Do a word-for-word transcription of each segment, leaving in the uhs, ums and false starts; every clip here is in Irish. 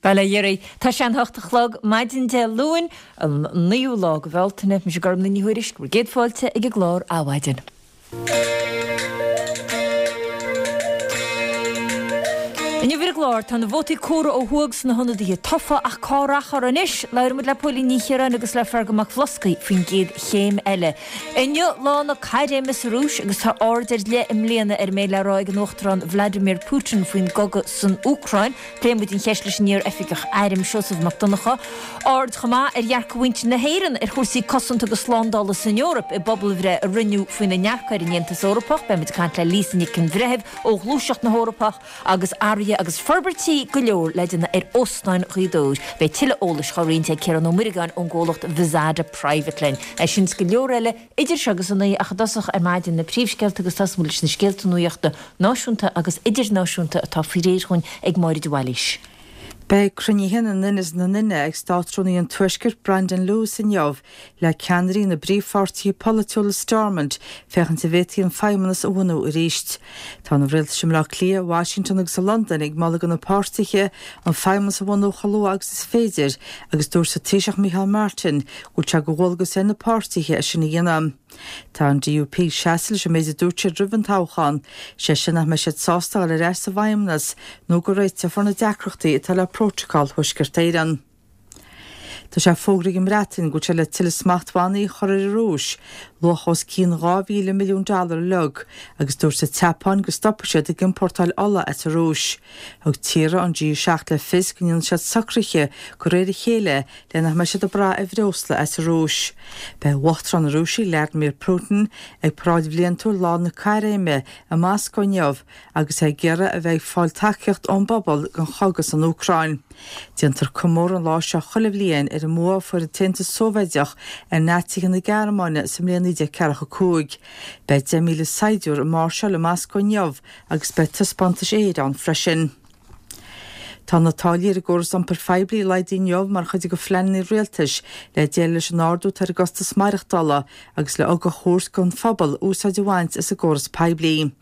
Bhuel a Dhéirí, tá sé an hocht a chlog maidin Dé Luain, an naoú lá de Bhealtaine, mise Gormlaith Ní Thuairisg, bhur gcéad fáilte ag an gclár Adhmhaidin. Inniu ar an gclár, tá na vótaí córa ó thuaidh sna hionadaithe tofa ach cá rachfar anois? Labhróidh muid le Póilín Ní Chiaráin agus le Feargal Mac Bhloscaidh faoin gcéad chéim eile. Inniu lá na caithréime sa Rúis agus tá aird ar leith i mbliana ar a mbeidh le rá ag an Uachtarán Vladimir Putin faoin gcogadh san Úcráin. Pléifidh muid an cheist leis an iar-oifigeach airm Seosamh Mac Donncha. Aird chomh maith ar dhearcadh mhuintir na hÉireann ar chúrsaí cosanta agus slándála san Eoraip i bpobalbhreith a rinneadh faoina ndearcadh ar an Aontas Eorpach. Beidh muid ag caint le Lisa Nic an Bhreithimh ó Ghluaiseacht na hEorpach agus athruithe agus forbairtí go leor le déanamh ar Óstán Ghaoth Dobhair. Beidh tuilleadh eolais á roinnt ag Ciarán Ó Muireagáin ón gcomhlacht Vizada Private linn. É sin is go leor eile idir seo agus a naoi ach i dtosach ar maidin na príomhscéalta agus tosóidh muid leis na scéalta nuachta náisiúnta agus idirnáisiúnta atá faoi réir dhúinn ag Máire de Bhailís. Beidh cruinnithe na nduine is na nduine ag Státrúnaí an Tuaiscirt Brandon Lewis inniu le ceannairí na bpríomhpháirtithe polaitiúla Stormont féachaint an bhféadfaí an feidhmeannas a bhunú arís. Tá na rialtais i mBleá Cliath, Washington agus i Londain ag moladh do na páirtithe an feidhmeannas a bhunú chomh luath agus is féidir agus dúirt an Taoiseach Micheál Martin go bhfuil sé de dhualgas ar na páirtithe é sin a dhéanamh. Tá an DUP ag seasamh leis an méid a dúirt siad roimh an toghchán, sé sin nach mbeidh siad sásta dul ar ais sa bhFeidhmeannas nó go réiteofar na deacrachtaí atá le Prótacal Thuaisceart Éireann. Tá sé fógraithe ag an mBreatain go bhfuil sé le tuilleadh smachtbhannaí a chur ar an Rúis, luach os cionn dhá mhíle milliún dollar uilig, agus dúirt an tSeapáin go stopfaidh siad ag iompórtáil ola as an Rúis. Thug tíortha an G seacht le fios go ndéanfaidh siad socruithe de réir a chéile le nach mbeidh siad ag brath ar bhreosla as an Rúis. Beidh Uachtarán na Rúise, Vladimir Putin, ag paráid bhliantúil Lá na Caithréime i Moscó inniu agus é ag iarraidh a bheith ag fáil tacaíocht ón bpobal don chogadh san Úcráin. Déantar comóradh an lá seo chuile bhliain ar an mbua a fuair an tAontas Sóivéideach ar Naitsithe na Gearmáine sa mbliain naoi déag ceathracha a cúig. Beidh deich míle saighdiúir ag máirseáil i Moscó inniu agus beidh taispeántais aeir ann freisin. Tá na táillí ar an gcóras iompair phoiblí laghdaithe inniu mar chuid de phleananna rialtais le déileáil leis an ardú atá ar an gcostas maireachtála agus le ugach a thabhairt don phobal úsáid a bhaint as an gcóras poiblí.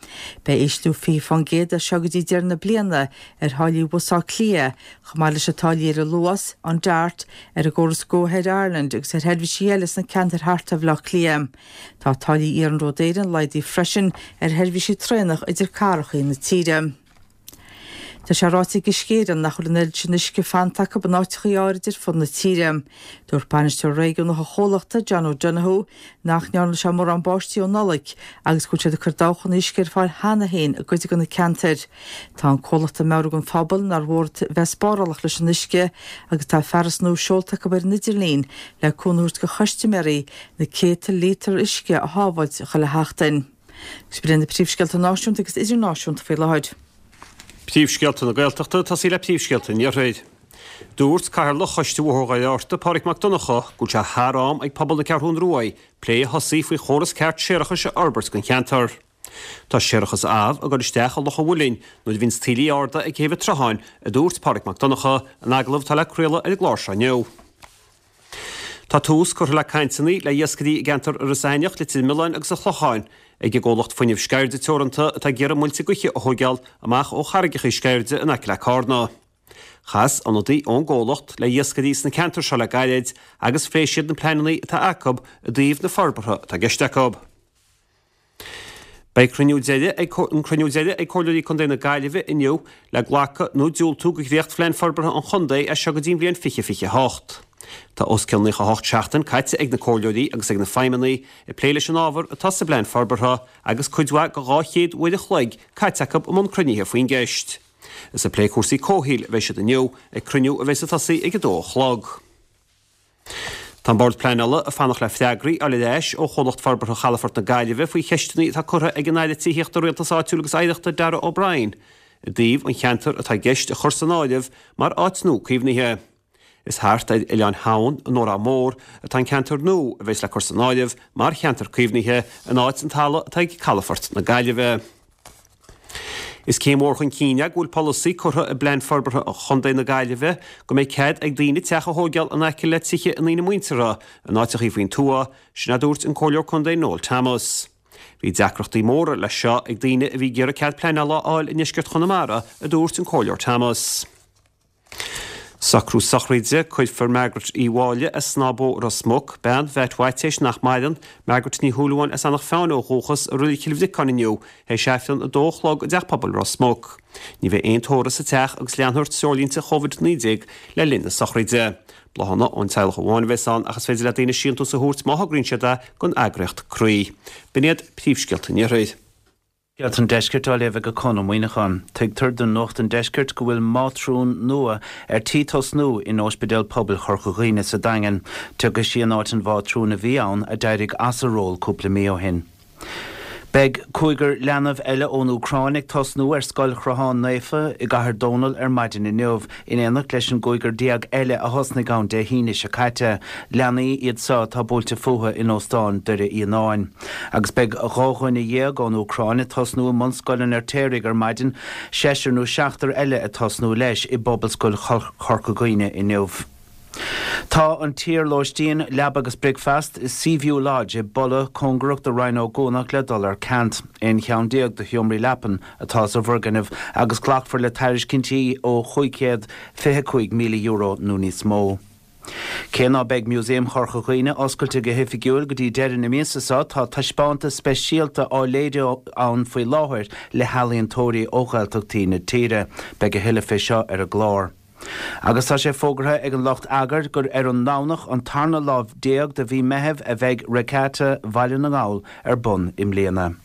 Beidh ísliú fiche fán gcéad as seo go dtí deireadh na bliana ar tháillí Bhus Átha Cliath, chomh maith leis na táillí ar an Luas, an Dart, ar an gcóras Go Ahead Ireland agus ar sheirbhísí eile sna ceantair thart ar Bhaile Átha Cliath. Tá táillí Iarnród Éireann laghdaithe freisin ar sheirbhísí traenach idir cathracha na tíre. Tá sé ráite ag Uisce Éireann nach bhfuil an oiread sin uisce fanta acu in áiteachaí áirid ar fud na tíre. Dúirt bainisteoir réigiúnach an chomhlachta, John O'Donoghue, nach ndearna sé mórán báistí ó Nollaig agus go bhfuil siad ag cur dabhchanna uisce ar fáil cheana féin i gcuid de na ceantair. Tá an comhlacht ag meabhrú don phobal nár mhór bheith spárálach leis an uisce agus tá fearas nua seolta acu ar an idirlíon le cúnamh a thabhairt do chustaiméirí na céadta líotar uisce a shábháilt chuile sheachtain. Agus b'in na príomhscéalta náisiúnta agus idirnáisiúnta faoi láthair. Príomhscéalta na Gaeltachta, tosaí le príomhscéalta an Iarthair. Dúirt Cathaoirleach Choiste Bhóthar Dhoire Fhearta, Pádraig Mac Donncha, go bhfuil sé thar am ag pobal na Ceathrún Ruaidh plé a thosaí faoi chóras ceart séarachais a fhorbairt don cheantar. Tá séarachas amh ag dul isteach i Loch an Mhuilinn nuair a bhíonns taoillí arda ag taobh an tsrutháin, a dúirt Pádraig Mac Donncha in agallamh atá le craoladh ar an gclár seo inniu. Tá tús curtha le cainteanna le iascairí i gceantar Iorras Aithneach, Leitir Mealláin agus an Chlocháin ag an gcomhlacht Fuinneamh Sceirde Teoranta atá ag iarraidh muilte gaoithe a thóigeáil amach ó charraigeacha Sceirde in aice le Cárna. Chas ionadaí ón gcomhlacht le iascairí sna ceantair seo le gairid agus phléigh siad na pleananna atá acu i dtaobh na forbartha atá i gceist acu. Beidh cruinniú deiridh ag an cruinniú deiridh ag Comhairleoirí Contae na Gaillimhe inniu le glacadh nó diúltú do dhréachtphlean forbartha an chontae as seo go dtí an bhliain fiche fiche a hocht. Tá os cionn naocha a hocht seachtain caite ag na comhairleoirí agus ag na feidhmeannaigh ag plé leis an ábhar atá sa bplean forbartha agus cuid mhaith de dhá chéad uair a chloig caite acu i mbun cruinnithe faoin gceist. Is ag plé cúrsaí comhshaoil a bheidh siad inniu ag cruinniú a bheidh ag tosaí ag a dó a chlog. Tá an Bord Pleanála ag fanacht le freagraí a fháil ar ais ó Chomhlacht Forbartha Chalafort na Gaillimhe faoi cheisteanna atá curtha ag an Aire Tithíochta, Rialtais Áitiúil agus Oidhreachta Darragh O'Brien i dtaobh an cheantar atá i gceist a chur san áireamh mar áit nua caomhnaithe. Is thart ar Oileán Theamhain in Órán Mór atá an ceantar nua a bheas le cur san áireamh mar cheantar caomhnaithe in áit an talamh atá ag Calafort na Gaillimhe. Is céim mhór chun cinn é go bhfuil polasaí curtha i bPlean Forbartha Chontae na Gaillimhe go mbeidh cead ag daoine teach a thóigeáil in aice le tithe a ndaoine muinteartha in áiteachaí faoin tuath, sin a dúirt an Comhairleoir Contae Noel Thomas. Bhí deacrachtaí móra leis seo ag daoine a bhí ag iarraidh cead pleanála a fháil i ndeisceart Chonamara, a dúirt an Comhairleoir Thomas. Socrú sochraide, Cuirfear Margaret Uí Mháille as Snáth Bó, Ros Muc, bean Mheait Mhaitiais nach maireann, Margaret Ní Shúilleabháin as Eanach Mheáin ó dhúchas, i Reilig Chill Bhriocáin inniu, théis Aifreann a dó a chlog i dTeach Pobail Ros Muc. Ní bheidh aon tórramh sa teach agus leanfar treoirlínte Covid naoi déag le linn na sochraide. Bláthanna ón teaghlach amháin a bheas ann ach is féidir le daoine síntiús a thabhairt má thograíonn siad é don eagraíocht Croí. B'in iad príomhscéalta an Iarthair. Scéalta an Deiscirt á léamh ag Conn Ó Muíneacháin. Tuigtear do Nuacht an Deiscirt go bhfuil mátrún nua ar tí tosnú in Ospidéal Pobail Chorca Dhuibhne sa Daingean. Tiocfaidh sí in áit an mhátrún a bhí ann a d'éirigh as a ról cúpla mí ó shin. Beidh cúigear leanbh eile ón Úcráin ag tosnú ar Scoil Chrotháin Naofa i gCathair Dónall ar maidin inniu, in éineacht leis an gcúigear déag eile a thosnaigh ann Dé hAoine seo caite. Leanaí iad seo atá buailte fúthu in Óstán Doire Fhíonáin. Agus beidh dhá dhuine dhéag ón Úcráin ag tosnú i mBunscoil an Fheirtéaraigh ar maidin, seisear nó seachtar eile ag tosnú leis i bPobalscoil Chorca Dhuibhne inniu. Tá an t-iar-lóistín leaba agus bricfeasta Seaview Lodge i bPolla cóngarach do Rinn Ó gCuanach le dul ar ceant. Aon cheann déag de sheomraí leapan atá sa bhfoirgneamh agus glacfar le tairiscintí ó chúig chéad fiche cúig míle euro nó níos mó. Cé ná beidh Músaem Chorca Dhuibhne oscailte go hoifigiúil go dtí deireadh na míosa seo, tá taispeántas speisialta á léiriú ann faoi láthair le healaíontóirí ó Ghaeltachtaí na tíre. Beidh a thuilleadh fé seo ar an gclár. Agus tá sé fógartha ag an lucht eagair gur ar an nDomhnach an tarna lá déag de mhí Meithimh a bheidh Regatta Bhaile na nGall ar bun i mbliana.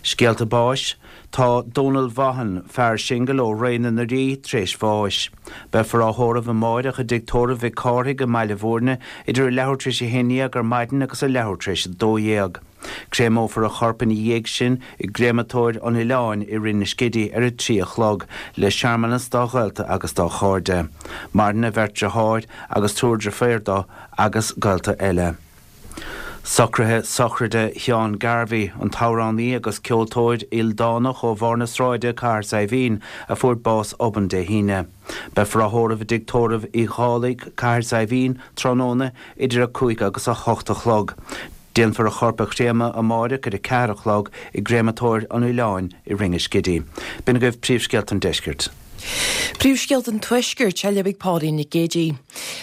Scéalta báis, Tá Dónal Vaughan, fear singil ó Ré na nDoirí, tréis bháis. Beifear á thórramh amáireach i dTigh Tórraimh Mhic Cárthaigh i mBaile Bhúirne idir a leathuair tar éis a haon dhéag ar maidin agus a leathuair tar éis a dó dhéag. Créamófar a chorp ina dhiaidh sin i gCréamatóir an Oileáin i Rinn na Scidí ar a trí a chlog, le searmanas dá ghaolta agus dá chairde. Maireann a bheirt deartháir agus triúr deirféar dó agus gaolta eile. Socruithe sochraide Sheáin Garvey, an t-amhránaí agus ceoltóir ildánach ó Bharr na Sráide, Cathair Saidhbhín, a fuair bás obann Dé hAoine. Beifear á thórramh i dTigh Tórraimh Uí Dhálaigh, Cathair Saidhbhín, tráthnóna idir a cúig agus a hocht a chlog. Déanfar a chorp a chréamadh amáireach ar a ceathair a chlog i gCréamatóir an Oileáin i Rinn an Scidí. B'in agaibh príomhscéalta an deiscirt. Príomhscéalta an Tuaiscirt á léamh ag Pauline Nic Géidigh.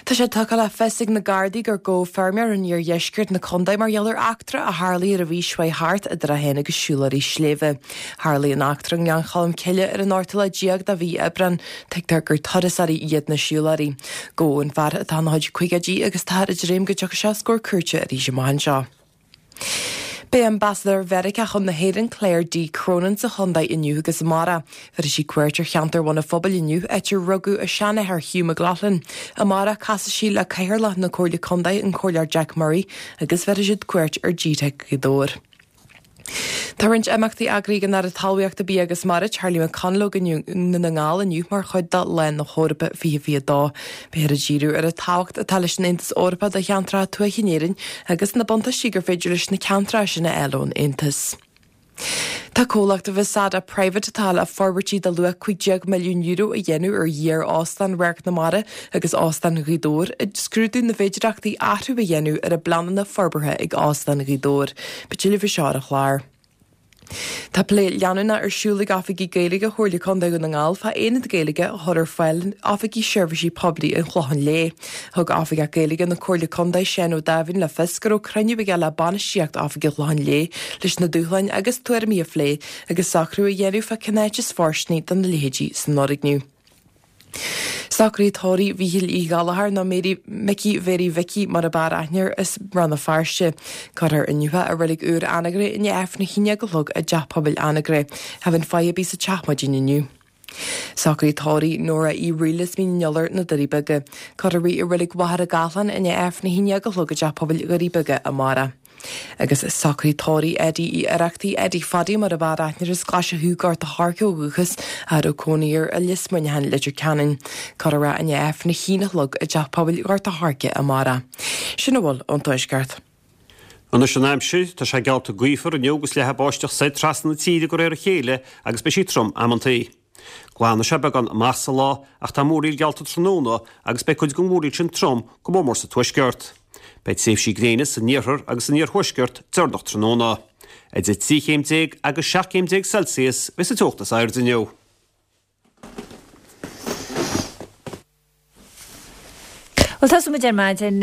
Tá sé tugtha le fios ag na Gardaí gur gabhadh feirmeoir in iardheisceart na contae mar gheall ar eachtra a tharlaigh ar an mhí seo chuaigh thart idir é féin agus siúlóirí sléibhe. Tharlaigh an eachtra i nGleann Cholm Cille ar an ochtú lá déag de mhí Aibreán. Tuigtear gur turasóirí iad na siúlóirí. Gabhadh an fear atá ina chuid caogaidí agus táthar ag dréim go dtiocfaidh sé os comhair cúirte arís amach anseo. Beidh Ambasadóir Mheiriceá chun na hÉireann Claire D. Cronin sa chontae inniu agus amárach. Bhéarfaidh sí cuairt ar cheantar Bhun an Phobail inniu, áit ar rugadh a seanathair Hugh McLaughlin. Amárach casfaidh sí le Cathaoirleach na Comhairle Contae, an Comhairleoir Jack Murray, agus bhéarfaidh siad cuairt ar G-Teic Ghaoth Dobhair. Tá roinnt imeachtaí eagraithe ag an Aire Talmhaíochta, Bia agus Mara, Charlie McConalogue i nDún na nGall inniu mar chuid de Lá na hEorpa fiche fiche a dó. Beifear ag díriú ar an tábhacht atá leis an Aontas Eorpach do cheantracha tuaithe in Éirinn agus na buntáistí gur féidir leis na ceantracha sin a fháil ón Aontas. Tá comhlacht Vasata Private atá le forbairtí de luach cúig déag milliún euro a dhéanamh ar iar-Óstán Radharc na Mara agus Óstán Ghaoth Dobhair ag scrúdú na bhféidearthachtaí athrú a dhéanamh ar a bpleananna forbartha ag Óstán Ghaoth Dobhair. Beidh tuilleadh faoi seo ar an chlár. Tá plé leanúnach ar siúl ag oifigigh Gaeilge Chomhairle Contae Dhún na nGall fá aonad Gaeilge a chur ar fáil in oifigí seirbhísí poiblí an Chlocháin Léith. Thug Oifigeach Gaeilge na Comhairle Contae Seán Ó Dáimhín le fios go raibh cruinniú aige le bainistíocht Oifig an Chlocháin Léith leis na dúshláin agus tuairimí a phlé agus socrú a dhéanamh fá cén áit is fóirsteanaí do na leithéidí san fhoirgneamh. Socruithe tórraimh Mhíchíl Uí Ghallchóir nó Mary Micí Mhéirí Mhicí mar ab fhearr aithne air as Rann na Feirste. Cuirfear inniu é i reilig úr Anagaire i ndiaidh Aifreann a haon déag a chlog i dTeach Pobail Anagaire. Cha bheidh faire ar bith sa teach maidin inniu. Socruithe tórraimh Nóra Uí Fhrighil as Mín an Iolair, Na Doirí Beaga. Cuirfear í i reilig Mhachaire Gathlán i ndiaidh Aifreann a haon déag a chlog i dTeach Pobail Dhoirí Beaga amárach. Agus socruithe tórraimh Eddie Uí Oireachtaigh, Eddie Phaddy mar ab fhearr aithne air as Glaise Chú, Gort a' Choirce ó dhúchas, a raibh cónaí air i Lios Muineacháin, Leitir Ceanainn. Cuirfear é i ndiaidh Aifreann a haon a chlog i dTeach Pobail Ghort a' Choirce amárach. Sin a bhfuil ón Tuaisceart. Anois an aimsir, tá sé geallta gaofar inniu agus leathfaidh báisteach soir trasna na tíre de réir a chéile agus beidh sí trom amantaí. Glanfaidh sé beagán amach sa lá ach tá múraíl geallta tráthnóna agus beidh cuid den mhúraíl sin trom, go mór mór sa tuaisceart. Beidh tréimhsí gréine san iarthar agus san iarthuaisceart deireanach tráthnóna. Idir trí chéim déag agus seacht gcéim déag Celsius a bheas an teocht is airde inniu. Well tá muid ar maidin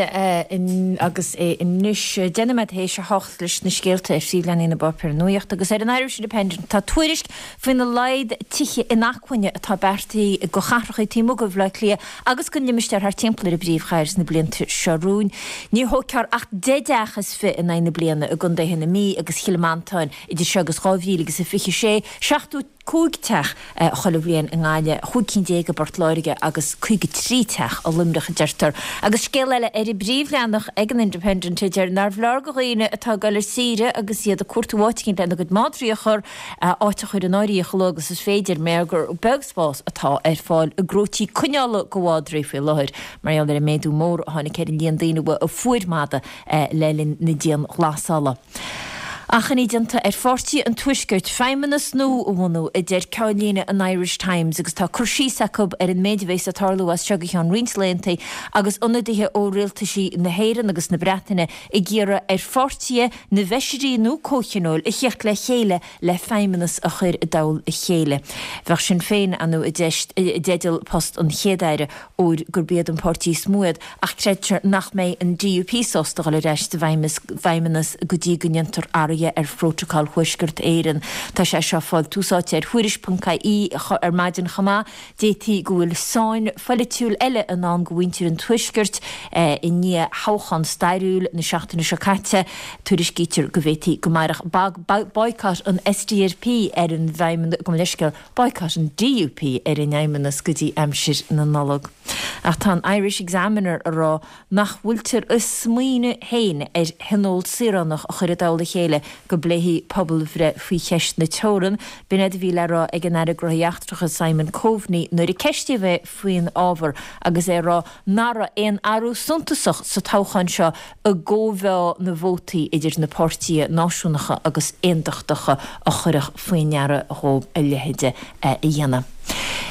agus é anois deich nóiméad théis a hocht leis na scéalta ar phríomhleathanaigh na bpáipéar nuachta agus ar an Irish Independent tá tuairisc faoina laghad tithe inacmhainne atá beartaithe go chathracha taobh amuigh de Bhaile Átha Cliath agus don limistéar thart timpeall ar an bpríomhchathair sna blianta seo romhainn. Ní thógfar ach deich dteach is fiche in aghaidh na bliana i gcontaetha na Mí agus Chill Mhantáin idir seo agus dhá mhíle agus a fiche sé, seachtó cúig teach chuile bhliain i nGaillimh, chúig cinn déag i bPort Láirge agus caoga trí teach i Luimneach a deirtear. Agus scéal eile ar an bpríomhleathanach ag an Independent a deir nárbh leor do dhaoine atá ag dul ar saoire agus iad ag cuartú áit éicint lena gcuid madraí a chur, áit a chur in áirithe chomh luath agus is féidir, mar gur beag spás atá ar fáil i gcróití coinneála do mhadraí faoi láthair mar gheall ar an méadú mór a tháinig ar an líon daoine a fuair mada le linn na dianghlasála. Achainí déanta ar pháirtí an Tuaiscirt feidhmeannas nua a bhunú, a deir ceannlíne an Irish Times agus tá cur síos acu ar an méid a bheas ag tarlú as seo go ceann roinnt laethanta agus ionadaithe ó rialtaisí na hÉireann agus na Breataine ag iarraidh ar pháirtithe na bhfeisirí nó comhthionóil a theacht le chéile le feidhmeannas a chur i dtoll a chéile. Bheadh Sinn Féin ann i dteideal post an Chéad-Aire óir gurb iad an páirtí is mó iad ach creidtear nach mbeidh an DUP sásta dul ar ais sa bhfeidhmeannas go dtí go ndéantar athruithe ar Phrótacal Thuaisceart Éireann. Tá sé seo fáil tús áite ar Thuairisc ponc ie ar maidin chomh maith. D'fhéadfaí go bhfuil sáinn pholaitiúil eile i ndán do mhuintir an Tuaiscirt i ndiaidh thoghchán stairiúil na seachtaine seo caite. Tuairiscítear go bhféadfaí go mairfeadh boycott an SDLP ar an bhfeidhmeannas, gabh mo leithscéal, boycott an DUP ar an bhfeidhmeannas go dtí aimsir na Nollag. Ach tá an Irish Examiner a rá nach bhfuiltear ag smaoineamh féin ar thionól saoránach a chur i dtoll a chéile go bpléifí pobalbhreith faoi cheist na teorann. B'in é a bhí le rá ag an Aire Gnóthaí Eachtracha Simon Coveney nuair a ceistíodh é faoin ábhar agus é ag rá nach raibh aon athrú suntasach sa toghchán seo i gcóimheá na vótaí idir na páirtithe náisiúnacha agus aontachtacha a chuirfeadh faoi ndeara dhóibh a leithéide a dhéanamh.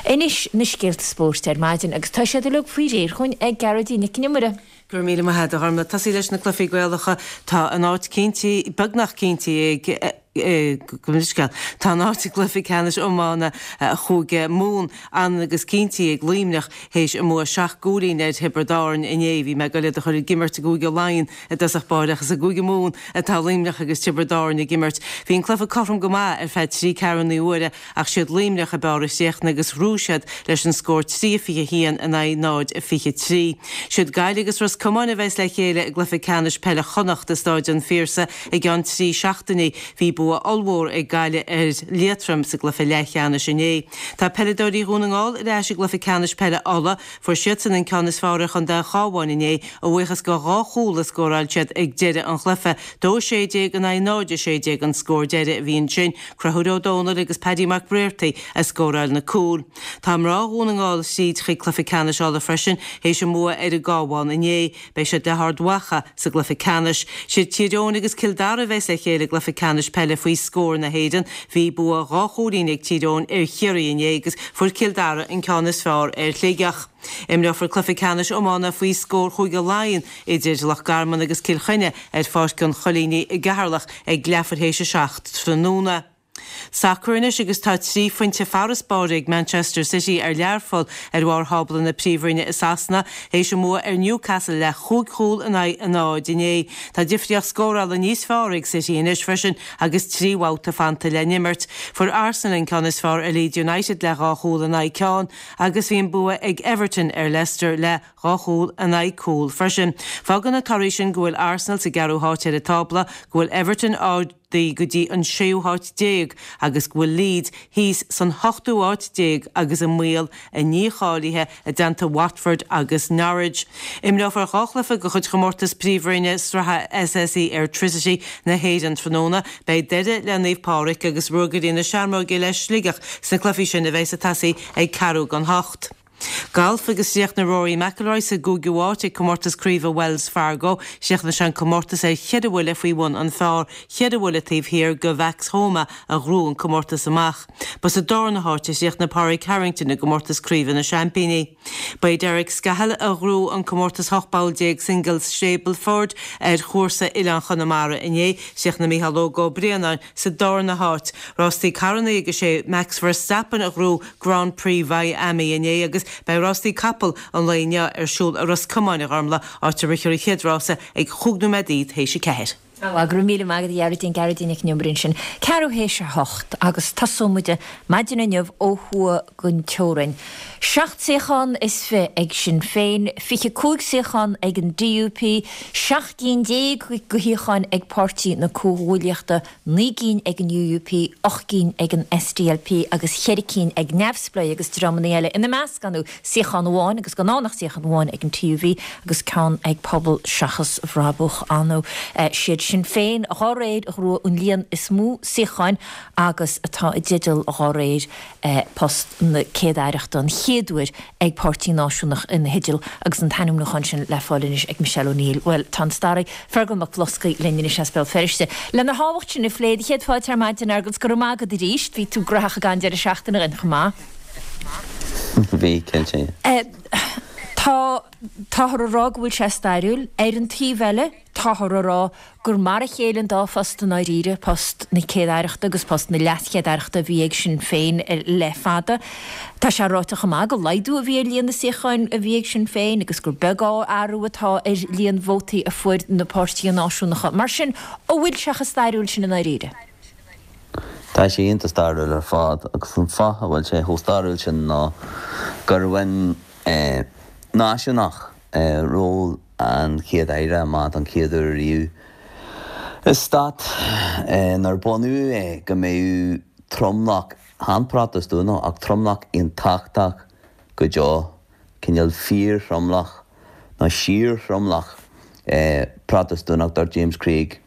Anois na scéalta spóirt ar maidin agus tá siad uilig faoi réir chugainn ag Gearóidín Nic an Iomaire. Go raibh míle maith agat, a Ghormfhlaith. Tosaí leis na cluichí Gaelacha, tá an áit cinntí, beagnach cinntí ag gabh mo leithscéal. Tá an áit i gcluiche ceannais iomána Chúige Mumhan ionann's agus cinntí ag Luimneach théis a mbua seacht gcúilín ar Thiobraid Árann inné. Bhí mé ag goil iad a chur ag imirt i gCúige Laighean i dtosach báire ach is i gCúige Mumhan atá Luimneach agus Tiobraid Árann ag imirt. Bhí an cluiche cothrom go maith ar feadh trí ceathrúna uaire ach siad Luimneach a b'fhearr a chríochnaigh agus ghnóthaigh siad leis an scór trí a fiche a haon in aghaidh náid a fiche trí. Siad Gaillimh agus Ros Comáin a bheas le chéile i gcluiche ceannais peile Chonnacht i Stáid an Phiarsaigh i gceann trí seachtainí. Bhí bua ollmhór ag Gaillimh ar Liatroim sa gcluiche leathcheannais inné. Tá peileadóirí Dhún na nGall ar ais i gcluiche ceannais peile Uladh. Fuair siadsan an ceann is fearr ar chontae an Chabháin inné, a bhuíochas go dhá chúl a scóráil siad ag deireadh an chluiche. Dó a sé déag in aghaidh náid a sé déag an scór deiridh a bhí ansin. Conchúr Ó Dónaill agus Paddy Mac Briartaigh a scóráil na cúil. Tá mná Dhún na nGall tríd chuig cluiche ceannais Uladh freisin théis a mbua ar an gCabhán inné. Beidh siad le hArd Mhacha sa gcluiche ceannais. Siad Tír Eoghain agus Cill Dara a bheas le chéile i gcluiche ceannais peile faoi scór na hÉireann. Bhí bua dhá chúilín ag Tír Eoghain ar Chiarraí inné agus fuair Cill Dara an ceann is fearr ar Shligeach. Imreofar cluiche ceannais iomána faoi scór Chúige Laighean idir Loch Garman agus Cill Chainnigh ar Pháirc an Choilínigh i gCeatharlach ag leathuair théis a seacht tráthnóna. Sacar anois agus tá trí phointe farasbairr ag Manchester City ar Learpholl ar bharr thábla na Príomhroinne i Sasana théis a mbua ar Newcastle le chúig chúl in aghaidh a náid inné. Tá difríocht scórála níos fearr ag City anois freisin agus trí bhabhta fanta le n-imirt. Fuair Arsenal an ceann is fearr ar Leeds United le dhá chúl in aghaidh ceann agus bhí an bua ag Everton ar Leicester le dhá chúl in aghaidh cúl freisin. Fágann na torthaí sin go bhfuil Arsenal sa gceathrú háit ar an tábla, go bhfuil Everton ardaithe go dtí an séú háit déag agus go bhfuil Leeds thíos san hochtú háit déag agus i mbaol a ndícháilithe i dteannta Watford agus Norwich. Imreofar dhá chluiche de chuid chomórtas Príomhroinne Sraithe SSE Airtricity na hÉireann tráthnóna. Beidh Doire le Naomh Pádraig agus Ruagairí na Seamróige le Sligeach sna cluichí sin a bheas ag tosaí ag ceathrú don hocht. Galf agus chríochnaigh Rory McIlroy sa gcúigiú háit ag comórtas craoibhe Wells Fargo. Chríochnaigh sé an comórtas ar cheithre bhuille faoi bhun an phar, cheithre bhuille taobh thiar de Max Homa a ghnóthaigh an comórtas amach. Ba sa darna háit a chríochnaigh Pádraig Harrington i gcomórtas craoibhe na Seaimpíní. Ba é Derek Scahill a ghnóthaigh an comórtas ocht bpoll déag Singles Stableford ar chúrsa Oileán Chonamara inné. Chríochnaigh Micheál Óg Ó Braonáin sa darna háit. Rástaí carranna agus sé Max Verstappen a ghnóthaigh Grand Prix Mhiami inné agus Beidh rástaí capall an lae inniu ar siúl i Ros Comáin, a Ghormlaith, áit a rithfear an chéad rása ag chúig nóiméadaí théis a ceathair. Go raibh míle maith agat, a Ghearóidín, Gearóidín Nic an Iomaire ansin. Ceathrú théis a hocht agus tosóidh muid maidin inniu ó thuaidh den teorainn. Seacht suíochán is fiche ag Sinn Féin, fiche cúig suíochán ag an D U P, seacht gcinn déag de shuíocháin ag Páirtí na Comhghuaillíochta, naoi gcinn ag an U U P, ocht gcinn ag an S D L P agus ceithre cinn ag neamhspleáigh agus dreamanna eile. Ina measc anú suíochán amháin agus gan ann ach suíochán amháin ag an T U V agus ceann ag Pobal Seachas Bhrabach anú. Siad Sinn Féin dá réir a ghnóthaigh an líon is mó suíocháin agus atá i dteideal dá réir post na Céad-Aireachta an chéad uair ag páirtí náisiúnach ina theideal agus an t-ainmniúchán sin le fáil anois ag Michelle O'Neill. Bhuel, tá an staraí Fergal Mac Bhloscaidh linn anois as Béal Feirste. Lena thábhacht sin a phlé, céad fáilte ar maidin agus go raibh maith agat arís, bhí tú graitheach ag an deireadh seachtaine againn chomh maith. Bhí, cinnte. Tá táthar a rá go bhfuil sé stairiúil. Ar an taobh eile, táthar a rá gur mar a chéile an dá phost i ndáiríre, post na Céad-Aireachta agus post na LeasChéad-Aireachta a bhí ag Sinn Féin le fada. Tá sé ráite chomh maith gur laghdú a bhí ar líon na suíochán a bhí ag Sinn Féin agus gur beag athrú atá ar líon vótaí a fuair na páirtithe náisiúnacha. Mar sin, an bhfuil sé chomh stairiúil sin i ndáiríre? Tá sé iontach stairiúil ar fad agus an fáth a bhfuil sé chomh stairiúil sin ná gur bhain náisiúnach ról an Chéad Aire amach don chéad uair riamh i stát nuair bunaíodh é go mbeadh tromlach, chan Protastúnach ach tromlach aontachtach go deo, cineál fíorthromlach nó síorthromlach Protastúnach. Dúirt James Craig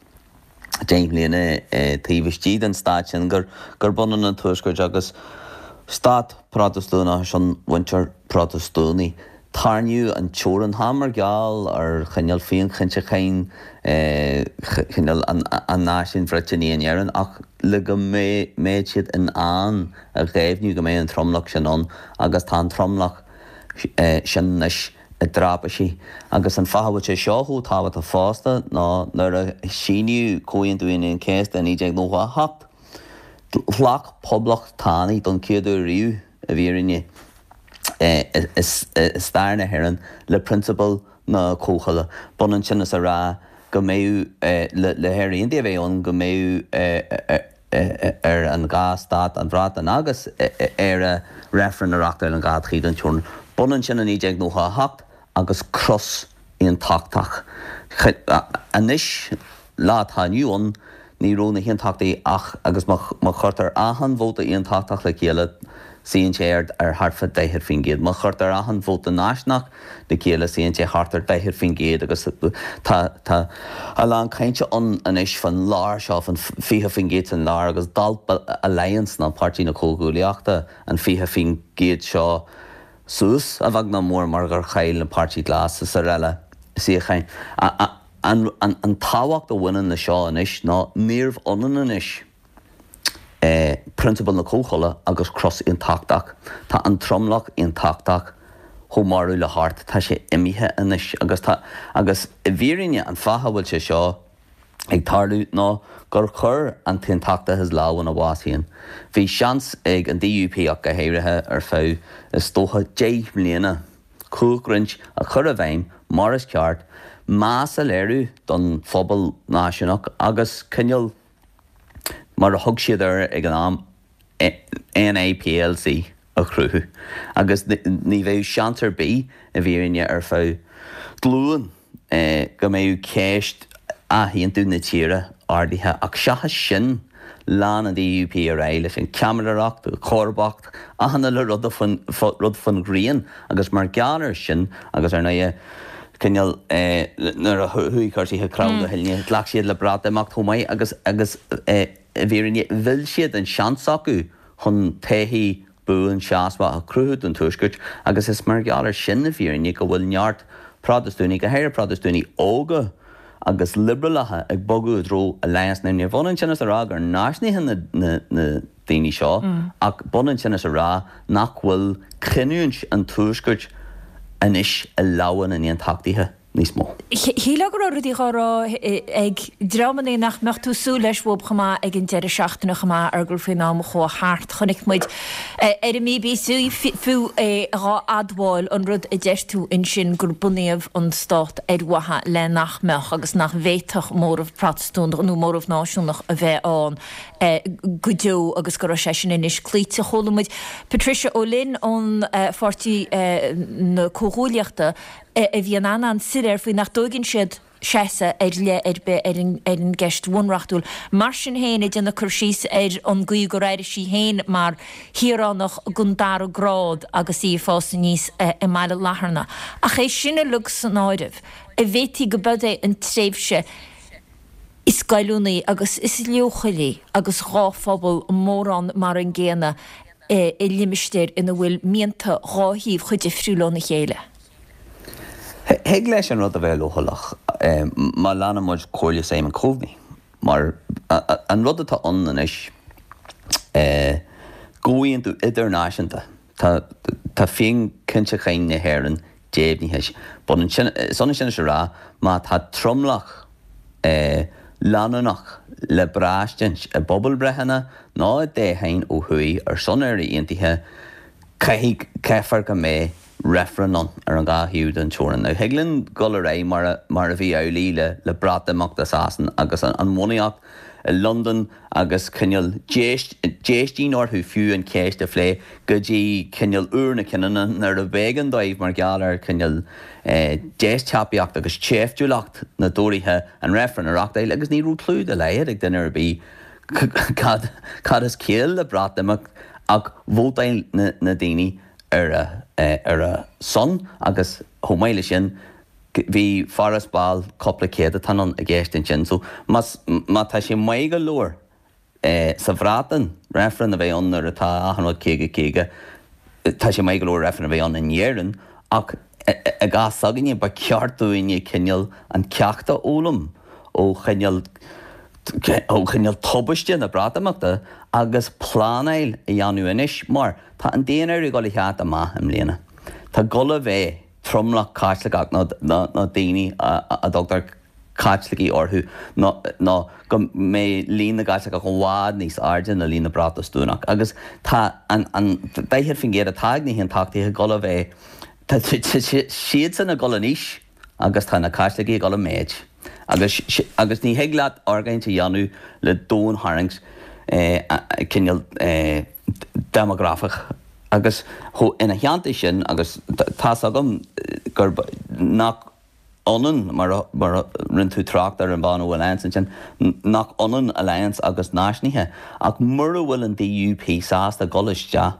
deich mbliana taobh istigh den stát sin gur gurb ionann an Tuaisceart agus stát Protastúnach ar son mhuintir Protastúnaigh. Tarraingíodh an teorainn, chan mar gheall ar chineál féinchinntiúcháin chineál an náisiúin Bhriotánaigh in Éirinn ach le go mbeadh siad in ann a dheimhniú go mbeidh an tromlach sin ann agus tá an tromlach sin anois i dtraipisí. Agus an fáth a bhfuil sé seo chomh tábhachtach fosta ná nuair a síníodh Comhaontú Aoine an Chéasta i naoi déag nócha a hocht, ghlac poblachtánaigh don chéad uair riamh i bhfírinne i stair na hÉireann le prionsabal na comhthola. B'ionann sin is a rá go mbeadh le hÉire Aontaithe a bheith ann go mbeadh ar an dhá stát, an Bhreatain agus Éire, reifreann a reáchtáil an dhá thaobh den teorainn. B'ionann sin i naoi déag nócha a hocht agus cros aontachtach. Anois, lá atá inniu ann, ní raibh na haontachtaithe ach agus má chuirtear achan vóta aontachtach le chéile, suíonn sé ar ar thart fá daichead faoin gcéad. Má chuirtear achan vóta náisiúnach le chéile, suíonn sé thart ar daichead faoin gcéad agus tá tá a lán cainte ann anois fan lár seo, fan fiche faoin gcéad san lár agus d'alp Alliance ná Páirtí na Comhghuaillíochta an fiche faoin gcéad seo suas a bheag nó mór mar gur chaill na Páirtí Glas is araile suíocháin. An an an tábhacht a bhaineann le seo anois ná níorbh ionann anois prionsabal na comhthola agus cros aontachtach. Tá an tromlach aontachtach chomh marbh le hArt, tá sé imithe anois agus tá agus i bhfírinne an fáth a bhfuil sé seo ag tarlú ná gur chuir an t-aontachtachas lámh ina bhás féin. Bhí seans ag an D U P ach go háirithe ar feadh is dócha deich mbliana cumhachtroinnt a chur i bhfeidhm mar is ceart, meas a léiriú don phobal náisiúnach agus cineál mar a thug siad air ag an am N I P L C a chruthú agus ní bheadh seans ar bith i bhfírinne ar feadh glúin go mbeadh ceist athaontú na tíre ardaithe ach seachas sin lean an D U P ar aghaidh leis an cheamaireacht, comharbacht, achan uile rud rud faoin ghrian agus mar gheall air sin agus ar ndóigh cineál nuair a chuaigh cúrsaí thar crann do thuilne, ghlac siad le Breatimeacht chomh maith agus agus i bhfírinne mhill siad an seans acu chun todhchaí buan seasmhach a chruthú don Tuaisceart agus is mar gheall air sin i bhfírinne go bhfuil neart Protastúnaigh, go háirithe Protastúnaigh óga agus liobrálacha ag bogadh i dtreo Alliance. Now ní bhionann sin is a rá gur náisiúnaithe na, na, na daoine seo ach b'ionann sin is a rá nach bhfuil cinniúint an Tuaiscirt anois i lámha na n-aontachtaithe. níos mó. Shílfeá go raibh rudaí dhá rá ag dreamanna nach mbeadh tú súil leis uathu chomh maith ag an deireadh seachtaine chomh maith Fheargal faoin am a chuaigh thart. Chonaic muid ar an mBBC fiú é dhá admháil an rud a deir tú ansin gur bunaíodh an stát ar mhaithe le nach mbeadh agus nach bhféadfadh móramh Protastúnach nó móramh náisiúnach a bheith ann go deo agus go raibh sé sin anois cloíte. Chuala muid Patricia O'Lynn ón Pháirtí na Comhghuaillíochta a bhí an-an-soiléir faoi nach dtóigeann siad seasamh ar leith ar bith ar an gceist bhunreachtúil. Mar sin féin, ag déanamh cur síos ar an gcaoi gur airigh sí féin mar shaoránach den dara grád agus í ag fás aníos i mBaile Latharna. Ach é sin uilig san áireamh, an bhféadfaí go b'eod é an tréimhse is goilliúnaí agus is leochailí agus dhá phobal mórán mar an gcéanna i limistéir ina bhfuil mianta dhá thaobh chomh difriúil óna chéile. Thig leis an rud a bheith leochaileach má leanann muid comhairle Simon Coveney, mar an rud atá ann anois, comhaontú idirnáisiúnta, tá féinchinntiúchán na hÉireann deimhnithe. Is ionann sin is a rá má tá tromlach leanúnach le braistint i bpobalbhreitheanna nó i dtoghcháin ó thuaidh ar son Éire Aontaithe, caithfidh, caithfear go mbeidh reifreann ann ar an dhá thaobh den teorainn. Now, thig linn dul ar aghaidh mar a, mar a bhí amhlaidh le, le Breatimeacht i Sasana agus an, an bhunaíocht i Londain agus cineál déist, déistín orthu fiú an cheist a phlé go dtí cineál uair na cinniúna nuair a b'éigean dóibh mar gheall ar chineál eh, deisbhéabacht agus seiftiúlacht na dTóraithe an reifreann a reachtáil agus ní raibh clue dá laghad ag duine ar bith cad, cad is ciall le Breatimeacht ach vótáil na, na daoine ar a, ar a son agus chomh maith leis sin bhí farasbarr cúpla céadatán ann i gceist ansin. So más, má tá sé maith go leor sa Bhreatain reifreann a bheith ann nuair atá achan rud caoga caoga, tá sé maith go leor reifreann a bheith ann in Éirinn ach i gcás s'againne ba cheart dúinne cineál an ceacht a fhoghlaim ó chineál ó chineál tubaiste na Breatimeachta agus pleanáil a dhéanamh anois mar tá an daonáireamh ag dul a theacht amach i mbliana. Tá ag dul a bheith tromlach Caitliceach nó nó daoine a dtugtar Caitlicigh orthu nó nó go mbeidh líon na gCaitliceach i bhfad níos airde ná líon na bProtastúnach agus tá an an daichead faoin gcéad atá ag na hAontachtaithe ag dul a bheith tá siadsan ag dul in aois agus tá na Caitlicigh ag dul i méid agus agus ní thig leat argóint a dhéanamh le domhaintharraingt cineál déimeagrafach agus ina theannta sin agus tá's agam gurb nach ionann mar mar a rinne tú trácht ar an bhean ó Alliance ansin nach ionann Alliance agus náisiúnaithe ach mura bhfuil an DUP sásta dul isteach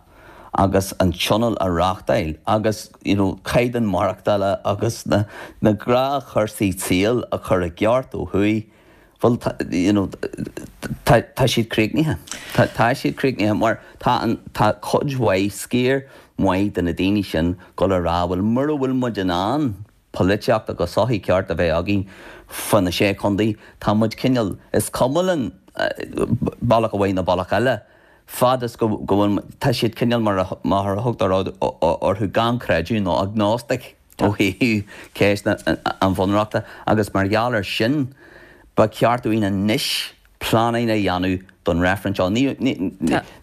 agus an tionól a reachtáil agus you know caighdeán maireachtála agus na na gnáthchúrsaí saoil a chur i gceart ó thuaidh bhuel tá you know tá tá siad críochnaithe. Tá tá siad críochnaithe mar tá an tá cuid mhaith sciar maith de na daoine sin dul a rá bhuel mura bhfuil muid in ann polaitíocht agus sochaí ceart a bheith againn fá na sé chontae tá muid cineál is cuma linn bealach amháin nó bealach eile fad is go go bhfuil tá siad cineál mar a mar a thugtar orthu gan creideamh nó agnostic ó thaobh ceist an bhunreachta agus mar gheall air sin ba cheart dúinn anois pleanáil a dhéanamh don reifreann seo. Ní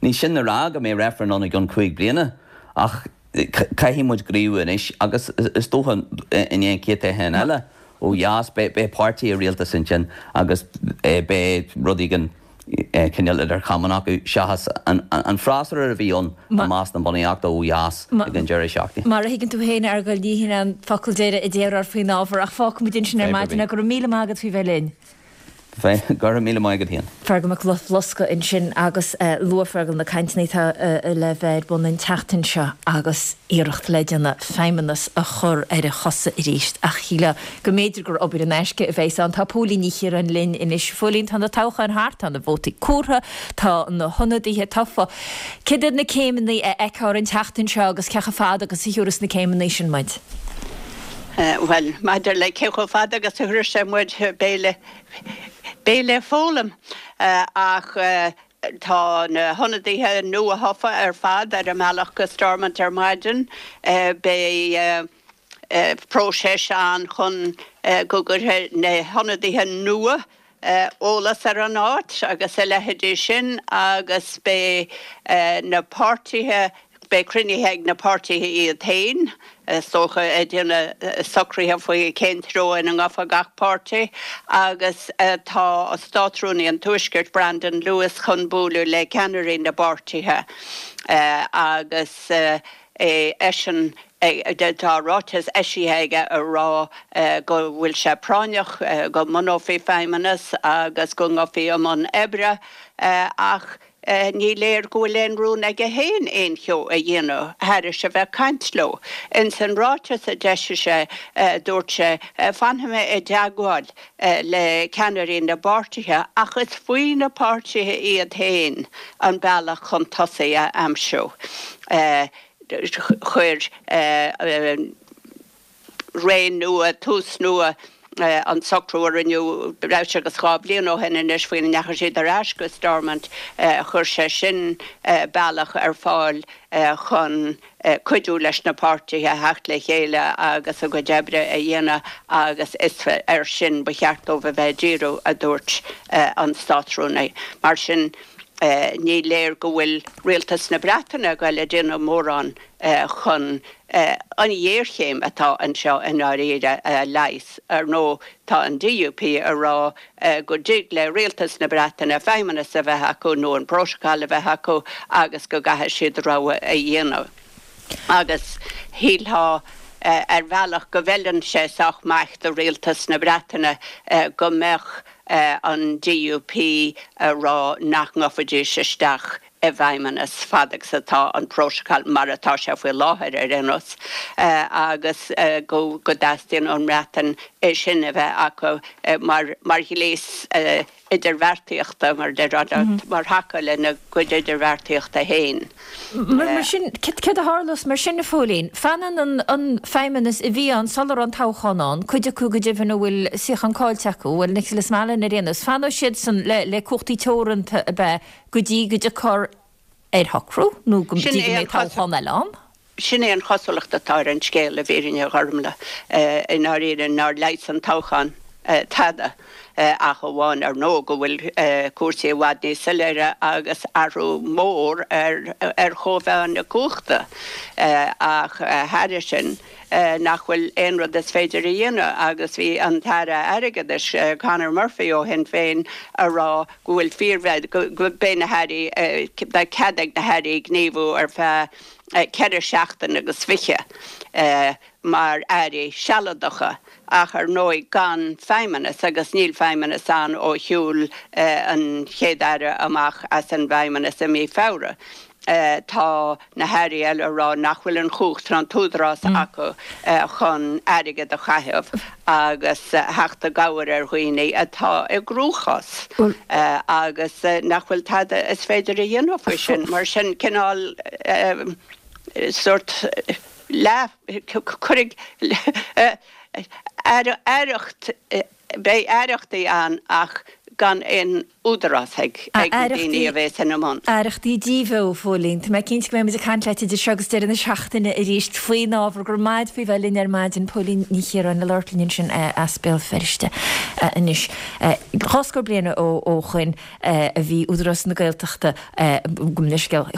ní sin a rá go mbeidh reifreann ann i gcionn cúig bliana ach caithfidh muid gníomhú anois agus is dócha i ndiaidh an chéad toghchán eile ó dheas beidh páirtí i rialtas ansin agus beidh rud éigin cineál idir chamáin acu seachas an freasúra a bhí ann i measc na bunaíochta ó dheas ag an deireadh seachtaine. Mar a thuigeann tú féin, a Fheargail, ní hin an focal deiridh a déarfar faoin ábhar ach fágfaimid ansin ar maidin é. Go raibh míle maith agat faoi bheith linn. Go raibh míle maith agat féin. Feargal Mac Bhloscaidh ansin agus luaigh Feargal na cainteanna atá le bheith ar bun an tseachtain seo agus iarracht le déanamh Feidhmeannas a chur ar a chosa arís. Ach shílfeá go mb'fhéidir gur obair in aisce a bheas ann. Tá Póilín Ní Chiaráin linn anois. A Phóilín, tá na toghcháin thart, tá na vótaí comhairthe, tá na hionadaithe tofa. Céard iad na céimeanna a fheicfear an tseachtain seo agus cé chomh fada agus a thiúrfas na céimeanna sin muid? Bhuel, maidir le cé chomh fada agus a thabharfas sé muid, beidh le, beidh le foghlaim. Ach tá na hionadaithe nua-thofa ar fad ar a mbealach go Stormont ar maidin. Beidh próiseas ann chun go gcuirfidh na hionadaithe nua eolas ar an áit agus a leithéidí sin agus beidh na páirtithe, beidh cruinnithe ag na páirtithe iad féin, is dócha, ag déanamh socruithe faoi cén treo ina ngabhfaidh gach páirtí agus tá Státrúnaí an Tuaiscirt, Brandon Lewis, chun bualadh le ceannairí na bpáirtithe agus eisean tá ráiteas eisithe aige ag rá go bhfuil sé práinneach go mbunófaí feidhmeannas agus go ngabhfaí i mbun oibre ach ní léir go bhfuil aon rún aige féin aon cheo a dhéanamh thairis a bheith ag caint leo. Ins an ráiteas a d'eisigh sé, dúirt sé, Fanfaidh mé i dteagmháil le ceannairí na bpáirtithe ach is faoi na páirtithe iad féin an bealach chun tosaigh a aimsiú. Chuir Ré Nua, Tús Nua an socrú a rinneadh breis agus dhá bhliain ó shin anois faoina ndeachaigh siad ar ais go Stormont, chuir sé sin bealach ar fáil chun cuidiú leis na páirtithe theacht le chéile agus a gcuid oibre a dhéanamh agus is air sin ba cheart dóibh a bheith ag díriú, a dúirt an Státrúnaí. Mar sin, ní léir go bhfuil rialtas na Breataine ag goil a déanamh mórán chun an ghéarchéim atá anseo i ndáiríre a leigheas. Ar ndóigh, tá an DUP ag rá go dtig le rialtas na Breataine feidhmeannas a bheith acu nó an Prótacal a bheith acu agus go gcaithfidh siad rogha a dhéanamh. Agus shílfeá ar bhealach go bhfeileann sé sách maith do rialtas na Breataine go mbeadh an DUP ag rá nach ngabhfaidís isteach i bhfeidhmeannas fad agus atá an Prótacal mar atá sé faoi láthair ar aon nós agus go dteastaíonn ón mBreatain é sin a bheith acu mar mar ghléas idirbheartaíochta, mar a déarfá, mar thaca lena gcuid idirbheartaíochta féin. Mar sin, céard a tharlós mar sin, a Phóilín? Fanann an feidhmeannas a bhí ann sula raibh an toghchán ann, cuid acu go deimhin a bhfuil suíochán caillte acu, bhuel, Nicholas Mallon ar aon nós, fanfaidh siadsan le cumhachtaí teoranta ab ea go dtí go dtiocfar ar shocrú nó go dtí go mbeidh toghchán eile ann? Sin é an chosúlacht atá ar an scéal, i bhfírinne, a Ghormlaith, i ndáiríre, nár leigheas an toghchán tada, ach amháin, ar ndóigh, go bhfuil cúrsaí i bhfad níos soiléire agus athrú mór ar chóimheá na cumhachta. Ach thairis sin, nach bhfuil aon rud is féidir a dhéanamh agus bhí an tAire Airgeadais, Conor Murphy ó Shinn Féin, a rá go bhfuil fíor, go mbeidh na hairí, beidh cead ag na hairí gníomhú ar feadh ceithre seachtaine agus fiche mar airí sealadacha ach ar ndóigh gan feidhmeannas agus níl feidhmeannas ann ó shiúil an Chéad-Aire amach as an bhfeidhmeannas i mí Feabhra. Tá na hairí eile ag rá nach bhfuil an chumhacht ná an t-údarás acu chun airgead a chaitheamh agus theacht i gcabhair ar dhaoine atá i gcruachás agus nach bhfuil tada is féidir a dhéanamh faoi sin. Mar sin, cineál sórt leath, cuirfidh aireacht, beidh aireachtaí ann ach gan aon údarás ag na daoine a bheas ina mbun. Aireachtaí díbheo, a Phóilín. Tá mé cinnte go mbeidh muid ag caint leat idir seo agus deireadh na seachtaine arís faoin ábhar. Go raibh maith agat faoi bheith linn ar maidin, Póilín Ní Chiaráin, ag labhairt linn ansin as Béal Feirste anois. Dhá scór bliain ó shoin a bhí Údarás na Gaeltachta, gabh mo leithscéal,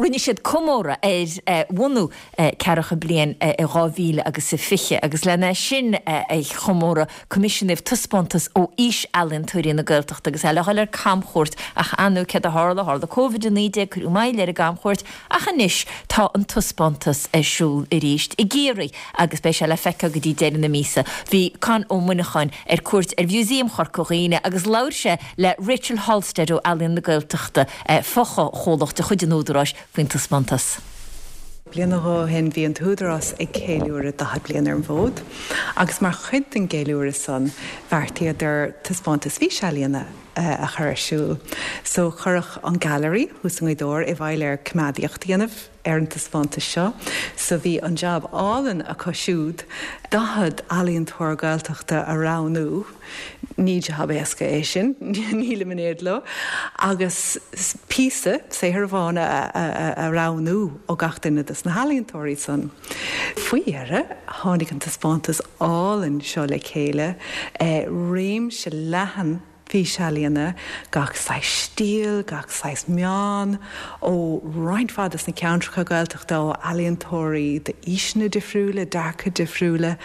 rinne siad comóradh ar bhunú ceathracha bliain i dhá mhíle agus a fiche agus lena sin a chomóradh coimisiúnaíodh taispeántas ó fhís-ealaíontóirí na Gaeltachta agus é le dhul ar camchuairt ach ar ndóigh céard a tharla, tharla Covid a naoi déag, cuireadh moill ar an gcamchuairt ach anois tá an taispeántas ar siúl arís i gCiarraí agus beidh sé le feiceáil go dtí deireadh na míosa. Bhí Con Ó Muineacháin ar cuairt ar Mhúsaem Chorca Dhuibhne agus labhair sé le Rachel Halstead ó Ealaíon na Gaeltachta, fochomhlacht de chuid an Údaráis, faoin taispeántas. Bliain nó dhó ó shin bhí an tÚdarás ag ceiliúradh daichead bliain ar an bhfód agus mar chuid den gceiliúradh san bheartaíodar taispeántas físealaíona a chur ar siúl. So cuireadh an Gailearaí thuas i nGaoth Dobhair i bhfeighil ar coimeádaíocht a dhéanamh ar an taispeántas seo. So bhí an jab álainn acu siúd daichead ealaíontóir Gaeltachta a roghnú, Ní jab éasca é sin, nílim in éad leo, agus píosa, saothar amháin a roghnú ó gach duine des na healaíontóirí san. Faoi dheireadh, tháinig an taispeántas álainn seo le chéile, réimse leathan físealaíona, gach saghas stíl, gach saghas meán, ó roinnt mhaith des na ceantracha Gaeltachta, ó ealaíontóirí d'aoiseanna difriúla, dearcadh difriúla,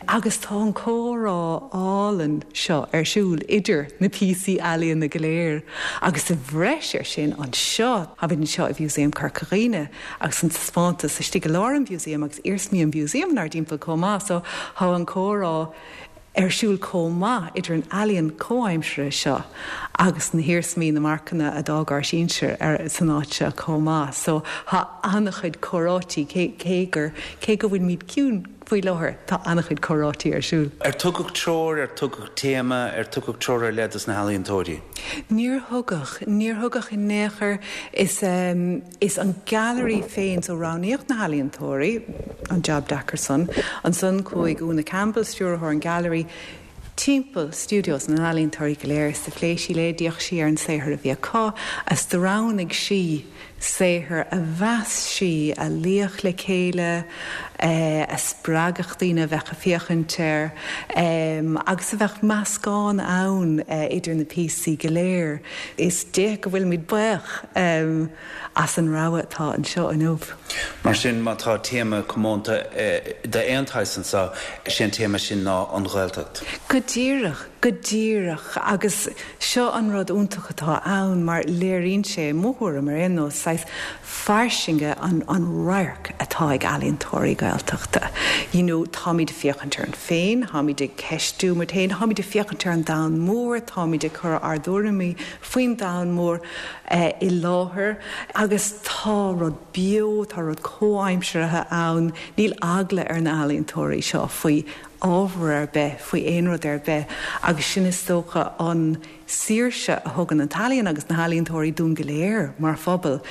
agus tá an comhrá álainn seo ar siúl idir na píosaí ealaíona go léir. Agus sa bhreis air sin, anseo, táimid anseo i Mhúsaem Chorca Dhuibhne agus an taispeántas istigh i lár an mhúsaeim agus iarsmaí an mhúsaeim inár dtimpeall chomh maith, so tá an comhrá ar siúl chomh maith idir an ealaíon comhaimseartha seo agus na hiarsmaí, na marcanna a d'fhág ár sinsir ar san áit seo chomh maith. So tá an-chuid comhráití, cé cé gur cé go bhfuilimid ciúin faoi láthair, tá an-chuid comhráití ar siúl. Ar tugadh treoir, ar tugadh téama, ar tugadh treoir ar leith dos na healaíontóirí? Níor thugadh, níor thugadh in aon chor. Is is an Gailearaí féin, so roghnaíodh na healaíontóirí, an jab deacair san. Ansan chuaigh Úna Campbell, stiúrthóir an Gailearaí, timpeall stiúideos na n-ealaíontóirí go léir is do phléigh sí leo, d'fhéach sí ar an saothar a bhí acu is do roghnaigh sí saothar a mheas sí a luífeadh le chéile, a spreagfadh daoine a bheadh ag féachaint air agus a bheadh meascán ann idir na píosaí go léir. Is di go bhfuilimid buíoch as an rogha atá anseo inniu. Mar sin, má tá téama comónta d'aon tsaghas anseo, is é an téama sin ná an Ghaeltacht. Go díreach, go díreach. Agus seo an rud iontach atá ann mar léiríonn sé, i mo thuairim ar aon nós, saghas fairsinge an an radharc atá ag ealaíontóirí Gaeltachta. You know, táimid ag féachaint orainn féin, táimid ag ceistiú muid féin, táimid ag féachaint ar an domhan mór, táimid ag cur ár dtuairimí faoin domhan mór i láthair agus tá rud beo, tá rud comhaimseartha ann. Níl eagla ar na healaíontóirí seo faoi ábhar ar bith, faoi aon rud ar bith agus sin is dócha an saoirse a thugann an t-ealaíon agus na healaíontóirí dúinn go léir mar phobal.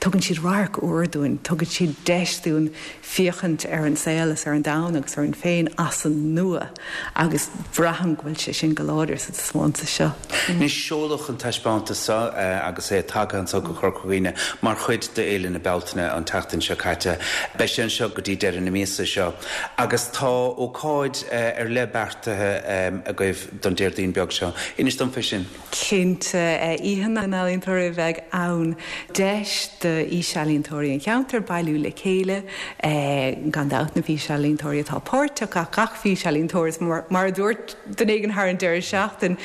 Tugann siad radharc úr dúinn, tugann siad deis dúinn féachaint ar an saol is ar an domhan agus orainn féin as an nua agus braithim go bhfuil sé sin go láidir sa taispeántas seo. Anois, seoladh an taispeántas seo agus é tagtha anseo go Corca Dhuibhne mar chuid d'Fhéile na Bealtaine an tseachtain seo caite. Beidh sé anseo go dtí deireadh na míosa seo agus tá ócáid ar leith beartaithe agaibh don Déardaoin beag seo. Inis dom fé sin. Cinnte, Oíche na nEalaíontóirí a bheidh ann. Deis d'fhísealaíontóirí an cheantair bailiú le chéile, gan dabht na físealaíontóirí atá páirteach ach gach físealaíontóir is mar a dúirt duine éigin thar an deireadh seachtain,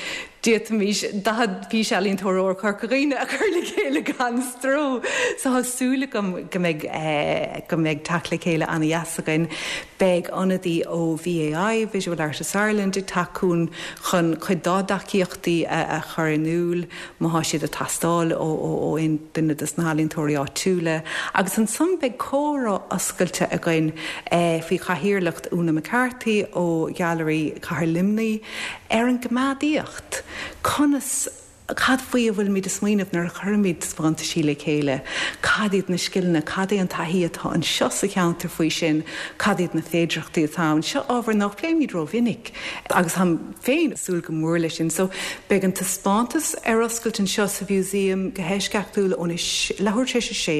d'fhéadfaimis daichead físealaíontóir ó Chorca Dhuibhne a chur le chéile gan stró. So tá súil agam go mbeidh go mbeidh teacht le chéile ana-dheas againn. Beidh ionadaí ó VAI, Visual Artists Ireland, ag teacht chugainn chun cuid dá dtacaíochtaí a chur in iúl má thá siad ag teastáil ó aon duine des na healaíontóirí áitiúla. Agus ansan beidh comhrá oscailte againn faoi chathaoirleacht Úna McCarthy ó Ghailearaí Chathair Luimnigh ar an gcoimeádaíocht. Conas Cad faoi a bhfuilimid ag smaoineamh nuair a chuirimid taispeántaisí le chéile? Cad iad na scileanna, cad é an taithí atá anseo sa cheantar faoi sin, cad iad na féidearthachtaí atá ann? Seo ábhar nach bpléimid rómhinic agus táim féin ag súil go mór leis sin. So, beidh an taispeántas ar oscailt anseo sa Mhúsaem go heisceachtúil óna leathuair tar éis a sé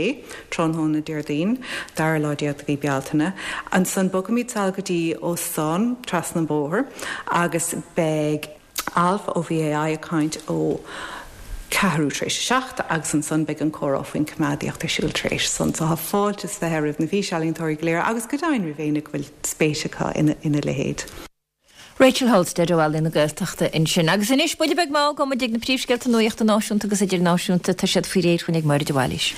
tráthnóna Déardaoin, dara lá déag de mhí Bealtaine. Ansan bogfaimid sall go dtí óstán trasna an bóthar agus beidh. Alf ó VAI ag caint ó ceathrú tar éis a seacht agus ansan beidh an comhrá faoin choimeádaíocht ar siúl tar éis san. So tá fáilte is fiche roimh na físealaíontóirí go léir agus go deimhin roimh éinne go bhfuil spéis acu ina leithéid. Rachel Holstead ó Ealaín na Gaeltachta ansin. Agus anois, buille beag mall, gabhfaidh muid ag na príomhscéalta nuachta náisiúnta agus idirnáisiúnta. Tá siad faoi réir chugainn ag Máire de Bhailís.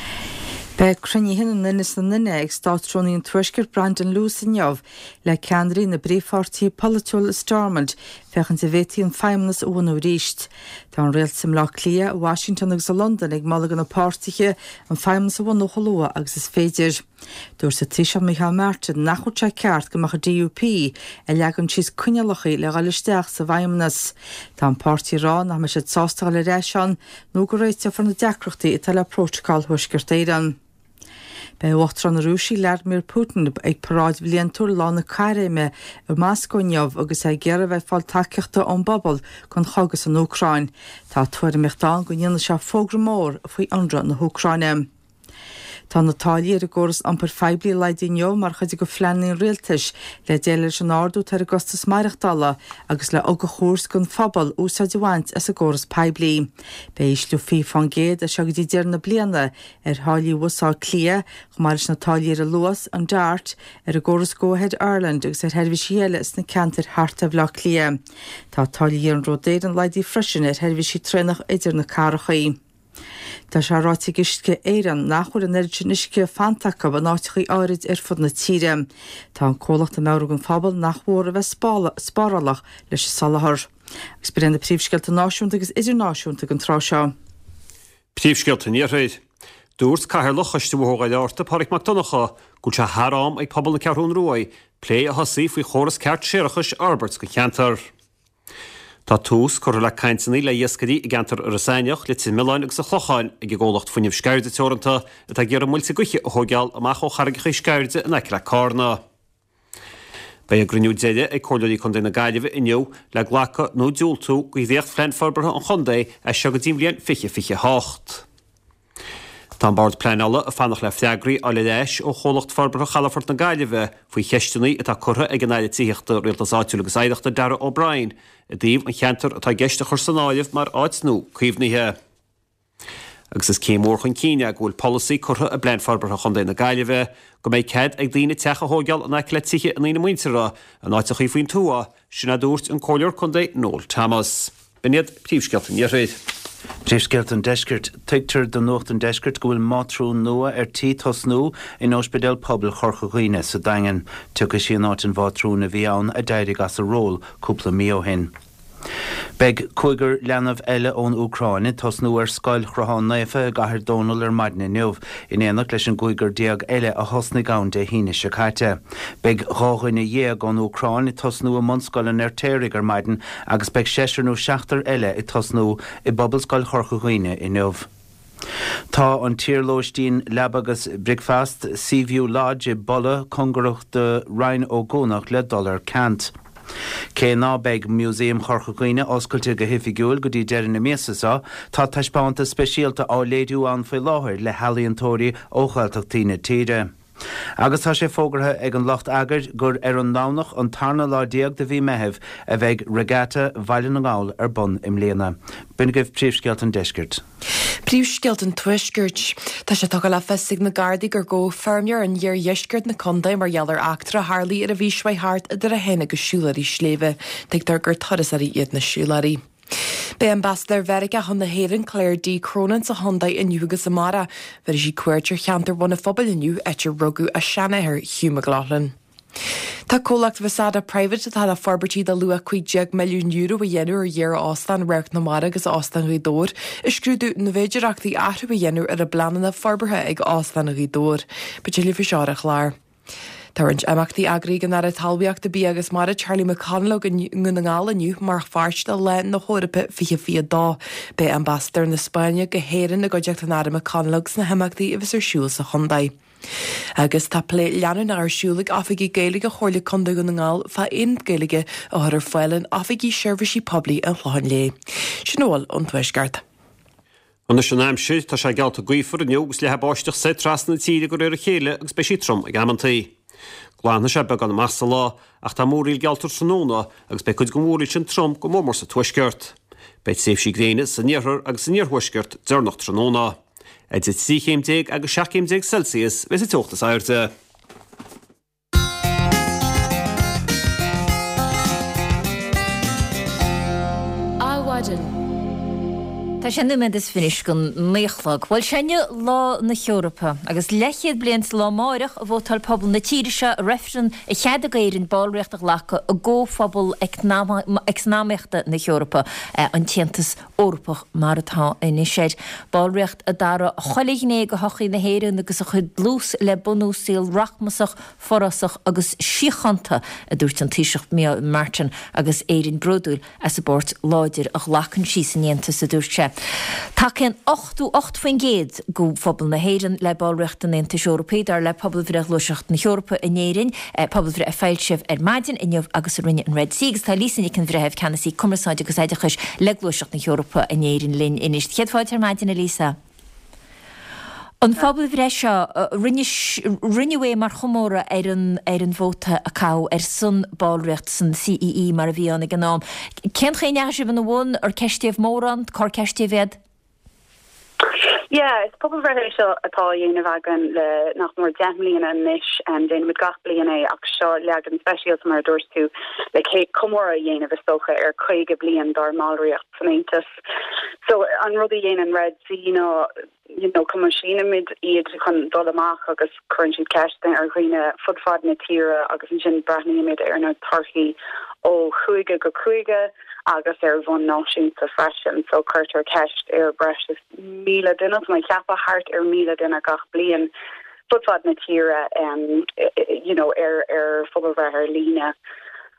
Beidh cruinnithe na nduine is na nduine ag Státrúnaí an Tuaiscirt Brandon Lewis inniu le ceannairí na bpríomhpháirtithe polaitiúil i Stormont féachaint an bhféadfaí an Feidhmeannas a bhunú arís. Tá an rialtas i mBleá Cliath, i Washington agus i Londain ag moladh do na páirtithe an Feidhmeannas a bhunú chomh luath agus is féidir. Dúirt an Taoiseach Micheál Martin nach bhfuil sé ceart go mbeadh an DUP ag leagan síos coinníollacha le dhul isteach sa bhFeidhmeannas. Tá an páirtí ag rá nach mbeidh siad sásta dhul ar ais ann nó go réiteofar na deacrachtaí atá le Prótacal Thuaisceart Éireann. Beidh Uachtarán na Rúise Vladimir Putin ag paráid bhliantúil Lá na Caithréime i Moscó inniu agus é ag iarraidh a bheith ag fáil tacaíochta ón bpobal don chogadh san Úcráin. Tá tuairimíocht ann go ndéanfaidh sé fógra mór faoi ionradh na hÚcráine. Tá na táillí ar an gcóras iompair phoiblí laghdaithe inniu mar chuid de phleananna an rialtais le déileáil leis an ardú atá ar an gcostas maireachtála agus le ugach a thabhairt don phobal úsáid a bhaint as an gcóras poiblí. Beidh ísliú fiche fán gcéad as seo go dtí deireadh na bliana ar tháillí Bhus Átha Cliath, chomh maith leis na táillí ar an Luas, an Dart, ar an gcóras Go Ahead Ireland agus ar sheirbhísí eile sna ceantair thart ar Bhaile Átha Cliath. Tá táillí Iarnród Éireann laghdaithe freisin ar sheirbhísí traenach idir na cathracha. Tá sé ráite ag Uisce Éireann nach bhfuil an oiread sin uisce fanta acu in áiteachaí áirid ar fud na tíre. Tá an comhlacht ag meabhrú don phobal nach mór a bheith spárálach leis an soláthar. Agus b'in na príomhscéalta náisiúnta agus idirnáisiúnta ag an tráth seo. Príomhscéalta an Iarthair. Dúirt Cathaoirleach Choiste Bhóthar Dhoire Fhearta, Pádraig Mac Donncha, go bhfuil sé thar am ag pobal na Ceathrún Rua plé a thosaí faoi chóras ceart séarachais a fhorbairt don cheantar. Tá tús curtha le cainteanna le hiascairí i gceantar Iorras Aithneach, Leitir Mealláin agus an Chlocháin ag an gcomhlacht Fuinneamh Sceirde Teoranta atá ag iarraidh muilte gaoithe a thóigeáil amach ó charraigeacha Sceirde in aice le Carna. Beidh a gcruinniú deiridh ag Comhairleoirí Contae na Gaillimhe inniu le glacadh nó diúltú do dhréachtphlean forbartha an chontae as seo go dtí an bhliain fiche fiche a hocht. Tá an Bord Pleanála ag fanacht le freagraí a fháil ar ais ó Chomhlacht Forbartha Chalafort na Gaillimhe faoi cheisteanna atá curtha ag an Aire Tithíochta, Rialtais Áitiúil agus Oidhreachta Darragh O'Brien i dtaobh an cheantar atá i gceist a chur san áireamh mar áit nua caomhnaithe. Agus is céim mhór chun cinn é go bhfuil polasaí curtha i bPlean Forbartha Chontae na Gaillimhe go mbeidh cead ag daoine teach a thóigeáil in aice le tithe a ndaoine muinteartha in áiteachaí faoin tuath, sin a dúirt an Comhairleoir Contae Noel Thomas. B'in iad príomhscéalta an Iarthair. Príomhscéalta an Deiscirt. Tuigtear do Nuacht an Deiscirt go bhfuil mátrún nua ar tí tosnú in Ospidéal Pobail Chorca Dhuibhne sa Daingean. Tiocfaidh sí in áit an mhátrúin a bhí ann a d'éirigh as a ról cúpla mí ó shin. Beidh cúigear leanbh eile ón Úcráin ag tosnú ar Scoil Shruthán Naofa i gCathair Dónall ar maidin inniu, in éineacht leis an gcúigear déag eile a thosnaigh ann Dé hAoine seo caite. Beidh dhá dhuine dhéag ón Úcráin ag tosnú i mBunscoil an Fheirtéaraigh ar maidin agus beidh seisear nó seachtar eile ag tosnú i bPobalscoil Chorca Dhuibhne inniu. Tá an t-iarlóistín leaba agus bricfeasta Seaview Lodge i bPolla, cóngarach do Rinn Ó gCuanach le dul ar ceant. Cé ná beidh Músaem Chorca Dhuibhne oscailte go hoifigiúil go dtí deireadh na míosa seo, tá taispeántas speisialta á léiriú ann faoi láthair le healaíontóirí ó Ghaeltachtaí na tíre. Agus tá sé fógartha ag an lucht eagair gur ar an nDomhnach an tarna lá déag de mhí Meithimh a bheidh Regatta Bhaile na nGall ar bun i mbliana. B'in agaibh príomhscéalta an deiscirt. Príomhscéalta an Tuaiscirt. Tá sé tugtha le fios ag na Gardaí gur gabhadh feirmeoir in iardheisceart na contae mar gheall ar eachtra a tharlaigh ar an mhí seo thart idir é féin agus siúlóirí sléibhe. Tuigtear gur turasóirí iad na siúlóirí. Beidh Ambasadóir Mheiriceá chun na hÉireann, Claire D. Cronin sa chontae inniu agus amárach. Bhéarfaidh sí cuairt ar cheantar Bhun an Phobail inniu, áit ar rugadh a seanathair, Hugh McLaughlin. Tá comhlacht Vasata Private atá le forbairtí de luach cúig déag milliún euro a dhéanamh ar iar-óstán Radharc na Mara agus Óstán Ghaoth Dobhair ag scrúdú na bhféidearthachtaí athrú a dhéanamh ar a bpleananna forbartha ag Óstán Ghaoth Dobhair. Beidh tuilleadh faoi seo ar an chlár. Tá roinnt imeachtaí eagraithe ag an Aire Talmhaíochta, Bia agus Mara Charlie McConalogue i nDún na nGall inniu mar pháirt de Lá na hEorpa fiche fiche a dó. Beidh Ambasadóir na Spáinne go hÉirinn i gcuideachta an Aire McConalogue sna himeachtaí a bheas ar siúl sa chontae. Agus tá plé leanúnach ar siúl ag Oifigigh Gaeilge Chomhairle Contae Dhún na nGall fá aonad Gaeilge a chur ar fáil in Oifigí Seirbhísí Poiblí an Chlocháin Léith. Sin a bhfuil ón Tuaisceart. Anois an aimsir, tá sé geallta gaofar inniu agus leathfaidh báisteach soir trasna na tíre de réir a chéile agus beidh sí trom ag amantaí. Glanfaidh sé beagán amach sa lá ach tá múraíl geallta tráthnóna agus beidh cuid den mhúraíl sin trom go mór mór sa tuaisceart. Beidh tréimhsí gréine san iarthar agus san iarthuaisceart deireanach tráthnóna. Idir trí chéim déag agus seacht gcéim déag Celsius a bheidh sa teocht is airde. Adhmhaidin. Tá sé nóiméad is fiche anois don naoi a chlog. Bhuel, sé inniu Lá na hEorpa, agus leathchéad bliain sa lá amárach a vótáil pobal na tíre seo i reifreann a cheadaigh d'Éirinn ballraíocht a ghlacadh i gComhphobal Eacnamaíochta na hEorpa, an tAontas Eorpach mar atá anois air. Ballraíocht a d'athraigh chuile ghné de shochaí na hÉireann agus a chuir dlús le bunú saol rachmasach, forásach agus síochánta, a dúirt an Taoiseach Micheál Martin, agus Éirinn bródúil as an bpáirt láidir a ghlacann sí san Aontas, a dúirt sé. Tacaíonn ochtó ocht faoin gcéad de phobal na hÉireann le ballraíocht an Aontais Eorpaigh, dar le pobalbhreith Ghluaiseacht na hEorpa in Éirinn, pobalbhreith a foilsíodh ar maidin inniu agus a rinne an Red C. Agus tá Lisa Nic an Bhreithimh, Ceannasaí Cumarsáide agus Oideachais le Gluaiseacht na hEorpa in Éirinn linn anois. Céad fáilte ar maidin, a Lisa. An phobalbhreith seo, rinneadh é mar chomóradh ar an ar an vóta a caitheadh ar son ballraíocht san CEE mar a bhí ann ag an am. Cén chaoi a ndeachaigh sibh ina bhun? Ar ceistíodh mórán? Cár ceistíodh iad? Yeah, is pobalbhreith é seo atá á dhéanamh againn le nach mór deich mbliana anois. Déanaimid gach bliain é ach seo leagan speisialta mar a dúirt tú le comóradh a dhéanamh is dócha ar caoga bliain dár mballraíocht san Aontas. So an rud a dhéanann Red C ná you know, coimisiúnaimid iad chun dul amach agus cuireann siad ceisteanna ar dhaoine fud fad na tíre agus ansin breathnaímid ar na torthaí ó chúige go cúige agus ar bhonn náisiúnta freisin. So cuirtear ceist ar breis is míle duine, tá mé ag ceapadh thart ar míle duine gach bliain fud fad na tíre um, you know, ar ar phobalbhreith ar líne.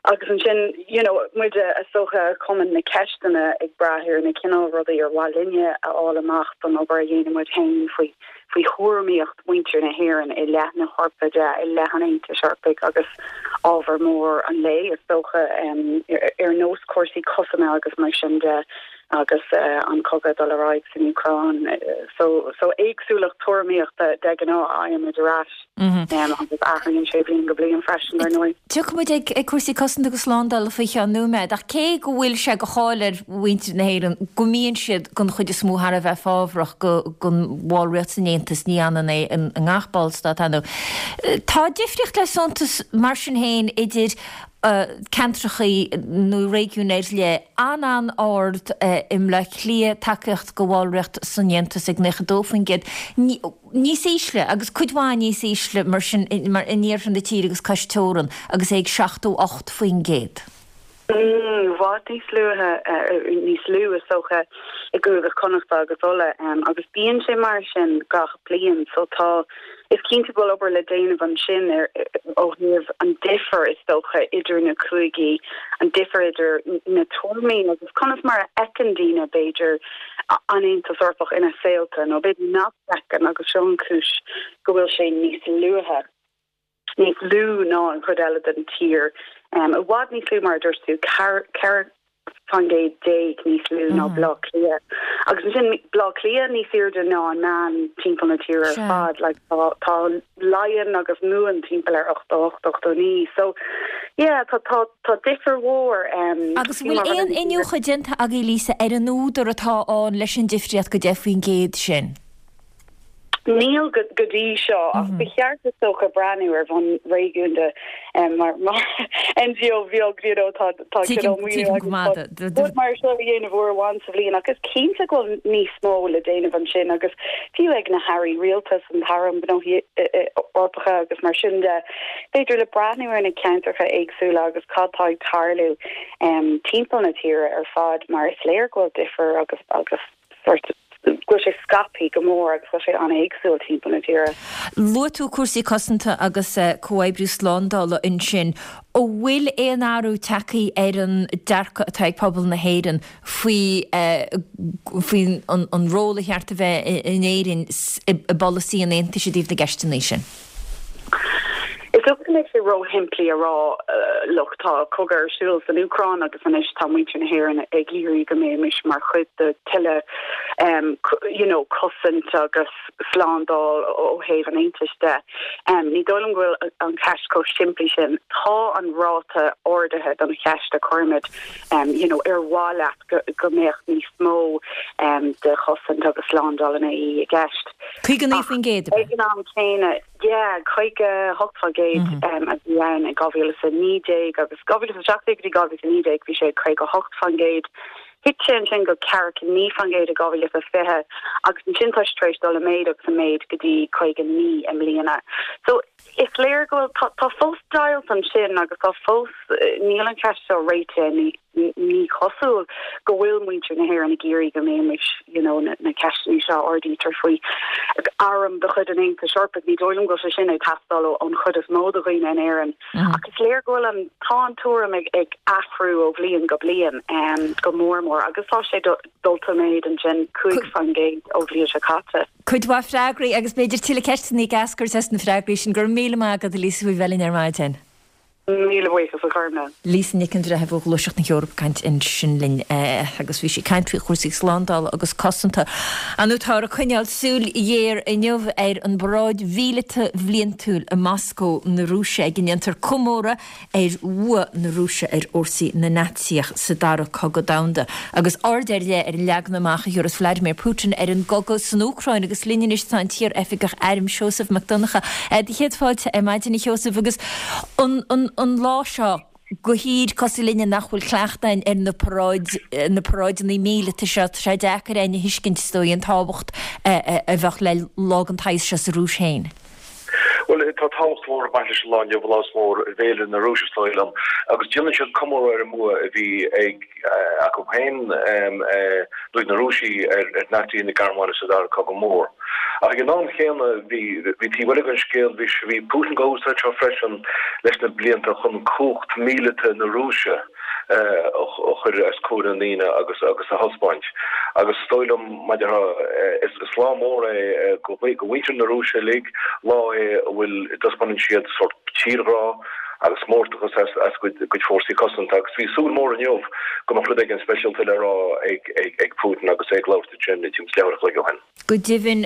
Agus ansin you know, muid is dócha a chumann na ceisteanna ag brath ar na cineál rudaí ar mhaith linne a fháil amach don obair a dhéanann muid féin faoi faoi thuairimíocht mhuintir na hÉireann i leith na hEorpa de, i leith an Aontais Eorpaigh agus ábhar mór an lae is dócha um, ar nós cúrsaí cosanta agus mar sin de agus uh, an cogadh dul ar aghaidh san Úcráin. So, so éagsúlacht tuairimíochta de ghnáth a fhaighimid ar ais mm -hmm. um, agus athraíonn sé bliain go bliain freisin ar ndóigh. Tiocfaimid ag ag cúrsaí cosanta agus slándála faoi cheann nóiméad, ach cé go bhfuil sé de cháil ar mhuintir na hÉireann go mbíonn siad den chuid is mó thar a bheith fábhrach go don bhallraíocht san Aontas ní hionann é i ngach ballstát ar ndóigh. Tá difríocht le suntas mar sin féin idir ceantrachaí nó réigiún ar leith an-an-ard i mBleá Cliath tacaíocht go bhallraíocht san Aontas ag nócha dó faoin gcéad. Níos ísle agus cuid mhaith níos ísle mar sin mar in iarthar na tíre agus cois teorann agus é ag seachtó ocht faoin gcéad. I bhfad níos luaithe níos lú is dócha i gCúige Connachta agus Uladh agus bíonn sé mar sin gach bliain so tá is cinnte go bhfuil obair le déanamh ansin ar ó thaobh an difear is dócha idir na cúigí an difear idir na tuairimí agus conas mar a fheiceann daoine b'fhéidir an Aontas Eorpach ina saolta nó b'fhéidir nach bhfeiceann agus seo an chúis go bhfuil sé níos luaithe. níos lú ná an chuid eile den tír. Um, I bhfad níos lú mar a dúirt tú ceithre faoin gcéad déag níos lú ná Bleá Cliath. Agus ansin Bleá Cliath níos airde ná an meán timpeall na tíre ar fad, like, tá, tá Laighean agus Mumhan timpeall ar ochtó ocht, ochtó naoi. So, yeah, tá, tá, tá difear mhór. Um, Agus bhfuil aon iniúchadh déanta agaibh Lisa ar an údar atá ann leis an difríocht go deich faoin gcéad sin? Níl go dtí seo ach ba cheart is dócha breathnú ar bhonn réigiúnda mar mar NGO bheag you know tá tá rud mar seo a dhéanamh uair amháin sa bhliain ach is cinnte go bhfuil níos mó le déanamh ansin agus fiú ag na hairí rialtais an tAire um Gnóthaí Eorpacha agus mar sin de b'fhéidir le breathnú ar na ceantracha éagsúla agus cad tá ag tarlú timpeall na tíre ar fad mar is léir go bhfuil difear agus agus sort go bhfuil sé scaipthe go mór agus go bhfuil sé an-éagsúil timpeall na tíre. Luaigh tú cúrsaí cosanta agus comhoibriú slándála ansin. An bhfuil aon athrú tagtha ar an dearcadh atá ag pobal na hÉireann faoi faoi an ról a cheart a bheith in Éirinn i bpolasaí an Aontais i dtaobh na gceisteanna sin? Is dócha go mbeadh sé róshimplí a rá look tá cogadh ar siúl san Úcráin agus anois tá muintir na hÉireann ag iarraidh go mbeimis mar chuid de tuilleadh um, you know, cosaint agus slándáil ó thaobh an Aontais de. Um, ní dóigh liom go bhfuil an cheist chomh simplí sin. Tá an ráta ardaithe don cheist a chuirimid um, you know, ar mhaith leat go, go mbeadh níos mó um, de chosaint agus slándáil an AE i gceist. Caoga naoi faoin gcéad. Ag an am céanna Yeah, caoga hocht faoin gcéad a bhí ann i dhá mhíle is a naoi déag agus dhá mhíle is a seacht déag go dtí dhá mhíle is a naoi déag bhí sé caoga hocht faoin gcéad. Thit sé ansin go ceathracha naoi faoin gcéad i dhá mhíle is a fiche agus ansin tá sé tar éis dul i méid agus i méid go dtí caoga naoi i mbliana. So is léir go bhfuil tá fós deighilt ansin agus tá fós níl an cheist seo réitithe Ní cosúil go bhfuil muintir na hÉireann ag iarraidh go mbeimis you know, na, na ceisteanna seo ardaítear faoi arm de chuid an Aontais Eorpaigh ní dóigh liom go bhfuil sé sin ag teastáil ón chuid is mó de dhaoine in Éirinn. Mm. Ach is léir go bhfuil an tá an tuairim ag, ag athrú ó bhliain go bliain um, go mór mór agus tá sé dulta i méid ansin cúig faoin gcéad ó bhliain seo caite. Cuid mhaith freagraí agus b'fhéidir tuilleadh ceisteanna ag eascairt as na freagraí sin go raibh míle maith agat Lisa faoi bheith linn ar maidin. Míle buíochas a Ghormfhlaith. Lisa Nic an Bhreithimh ó Ghluaiseacht na hEorpa ag caint ansin linn agus bhí sí ag caint faoi chúrsaí slándála agus cosanta. Anu táthar ag coinneáil súil ghéar inniu ar an bparáid mhíleata bhliantúil i Moscó na Rúise ag a ndéantar comóradh ar bhua na Rúise ar fhórsaí na Naitsíoch sa Dara Cogadh Domhanda. Agus aird ar leith ar an leagan amach a thabharfas Vladimir Putin ar an gcogadh san Úcráin agus linn anois tá an t-iar-oifigeach airm Seosamh Mac Donncha. Do chéad fáilte ar maidin a Sheosaimh agus an an an lá seo go thír cosúil linne nach bhfuil cleachtadh againn ar na paráid na paráideanna míleata seo tá sé deacair againn a thuiscint is dóigh an tábhacht a bheadh le lá den tsaghas seo sa Rúis féin. Bhuel, tá tábhacht mhór ag baint leis an lá inniu, lá is mór i bhféilire na Rúise, is dóigh liom, agus déanann siad comóradh ar an mbua a bhí ag acu féin, nó ag na Rúisigh, ar Naitsithe na Gearmáine sa Dara Cogadh Mór. Ach ag an am chéanna, bhí bhí taobh eile den scéal, bhí bhí Putin dhá úsáid seo freisin leis na blianta chun cumhacht mhíleata na Rúise a chur os comhair na ndaoine agus agus a thaispeáint. Agus is dóigh liom, mar a déarfá, is lá mór é go mhuintir na Rúise uilig, lá é a bhfuil, a dtaispeánann siad sórt tírghrá agus mórtachas as a gcuid fórsaí cosanta. Agus bhí súil mhór inniu go mbeadh rud éigin speisialta le rá ag Putin agus é ag labhairt ansin timpeall is leathuair a chloig ó shin. Go deimhin,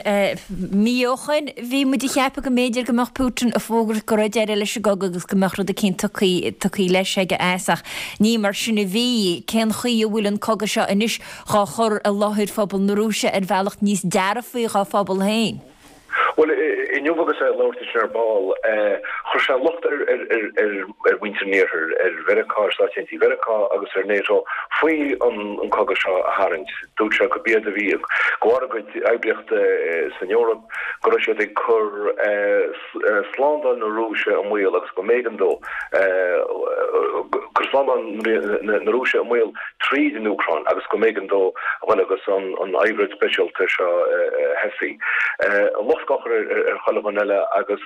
mí ó shoin, bhí muid ag ceapadh go mb'fhéidir go mbeadh Putin ag fógairt go raibh deireadh leis an gcogadh agus go mbeadh rud eicínt tugtha tugtha leis aige as, ach ní mar sin a bhí. Cén chaoi a bhfuil an cogadh seo anois dhá chur i láthair phobal na Rúise ar bhealach níos dearfaí dhá phobal féin? Bhuel, inniu agus é ag labhairt ansin ar ball, chuir sé locht ar mhuintir an Iarthair, ar Mheiriceá, ar Stáit Aontaithe Mheiriceá agus ar NATO faoi an cogadh seo a tharraingt. Dúirt sé gurb iad a bhí de bharr a gcuid oibríochta san Eoraip, go raibh siad ag cur slándáil na Rúise i mbaol agus go mb'éigean dó cur slándáil na Rúise i mbaol tríd an Úcráin agus go mb'éigean dó a dhul agus an oibríocht speisialta seo a thosaí. An locht á chur ar chuile dhuine eile agus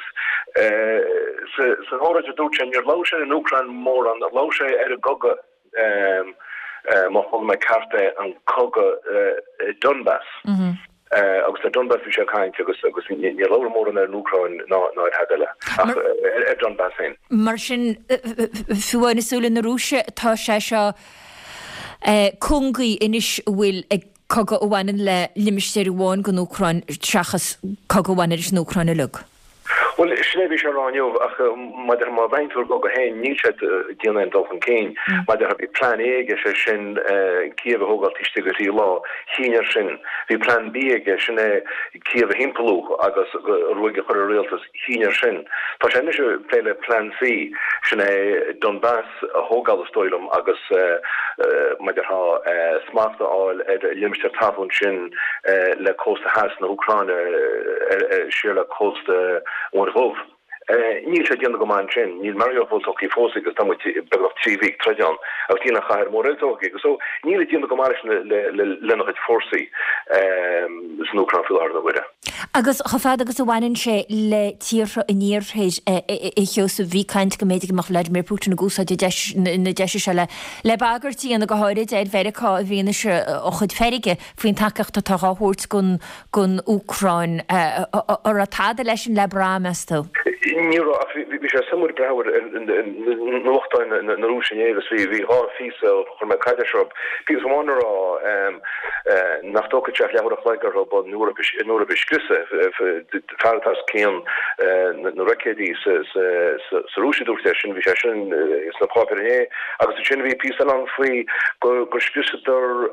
san óráid a dúirt sé, níor labhair sé ar an Úcráin mórán, labhair sé ar an gcogadh, má chuala mé ceart é, an cogadh i Donbas. Agus ar Donbas bhí sé ag caint agus agus níor labhair mórán ar an Úcráin ná ar thada eile ach ar Donbas féin. Mar sin, fiú amháin i súile na Rúise, tá sé seo cúngaí anois a bhfuil ag cogadh a bhaineann le limistéar amháin den Úcráin seachas cogadh a bhaineann leis an Úcráin uilig. Bhuel, sin é a bhí sé a rá inniu, ach mar a déarfá, má bhreathnaíonn tú ar an gcogadh féin, níl sé ag déanamh aon dul chun cinn. Mar a déarfá, bhí Plean A aige, sé sin Cíév a thógáil taobh istigh de thrí lá. Chinn air sin. Bhí Plean B aige, sin é Cíév a thimpeallú agus ruaig a chur ar an rialtas. Chinn air sin. Tá sé anois ag plé le Plean C, sin é Donbas a thógáil is dóigh liom agus mar a déarfá smacht a fháil ar an limistéar talún sin le cósta theas na hÚcráine siar le cósta Mhuir Dhubh. Níl sé ag déanamh go maith ansin. Níl Mariupol tógtha fós aige agus tá muid beagnach trí mhí ag troid ann agus níl an chathair mhór eile tógtha aige. So níl ag déanamh go maith leis lena chuid fórsaí san Úcráin faoi láthair na huaire. Agus chomh fada agus a bhaineann sé le tíortha an Iarthair, a Sheosaimh, bhí caint go mb'fhéidir go mbeadh Vladimir Putin ag úsáid na deise seo le bagairt a dhéanamh, go háirid ar Mheiriceá i bhfianaise a chuid feirge faoin tacaíocht atá á thabhairt don Úcráin. An raibh tada leis sin le brath, meas tú? Ní raibh, ach bhí sé suimiúil breathnú ar nuachtáin na Rúise inné agus bhí dhá phíosa, chuir mé caidéis orthu, píosa amháin ag rá nach dtógfadh sé ach leathuair a chloig orthu an Eoraip a scriosadh, fear atá os cionn na roicéidí sa Rúis a dúirt é sin, bhí sé sin sna páipéir inné agus ansin bhí píosa eile ann faoi gur scriosadar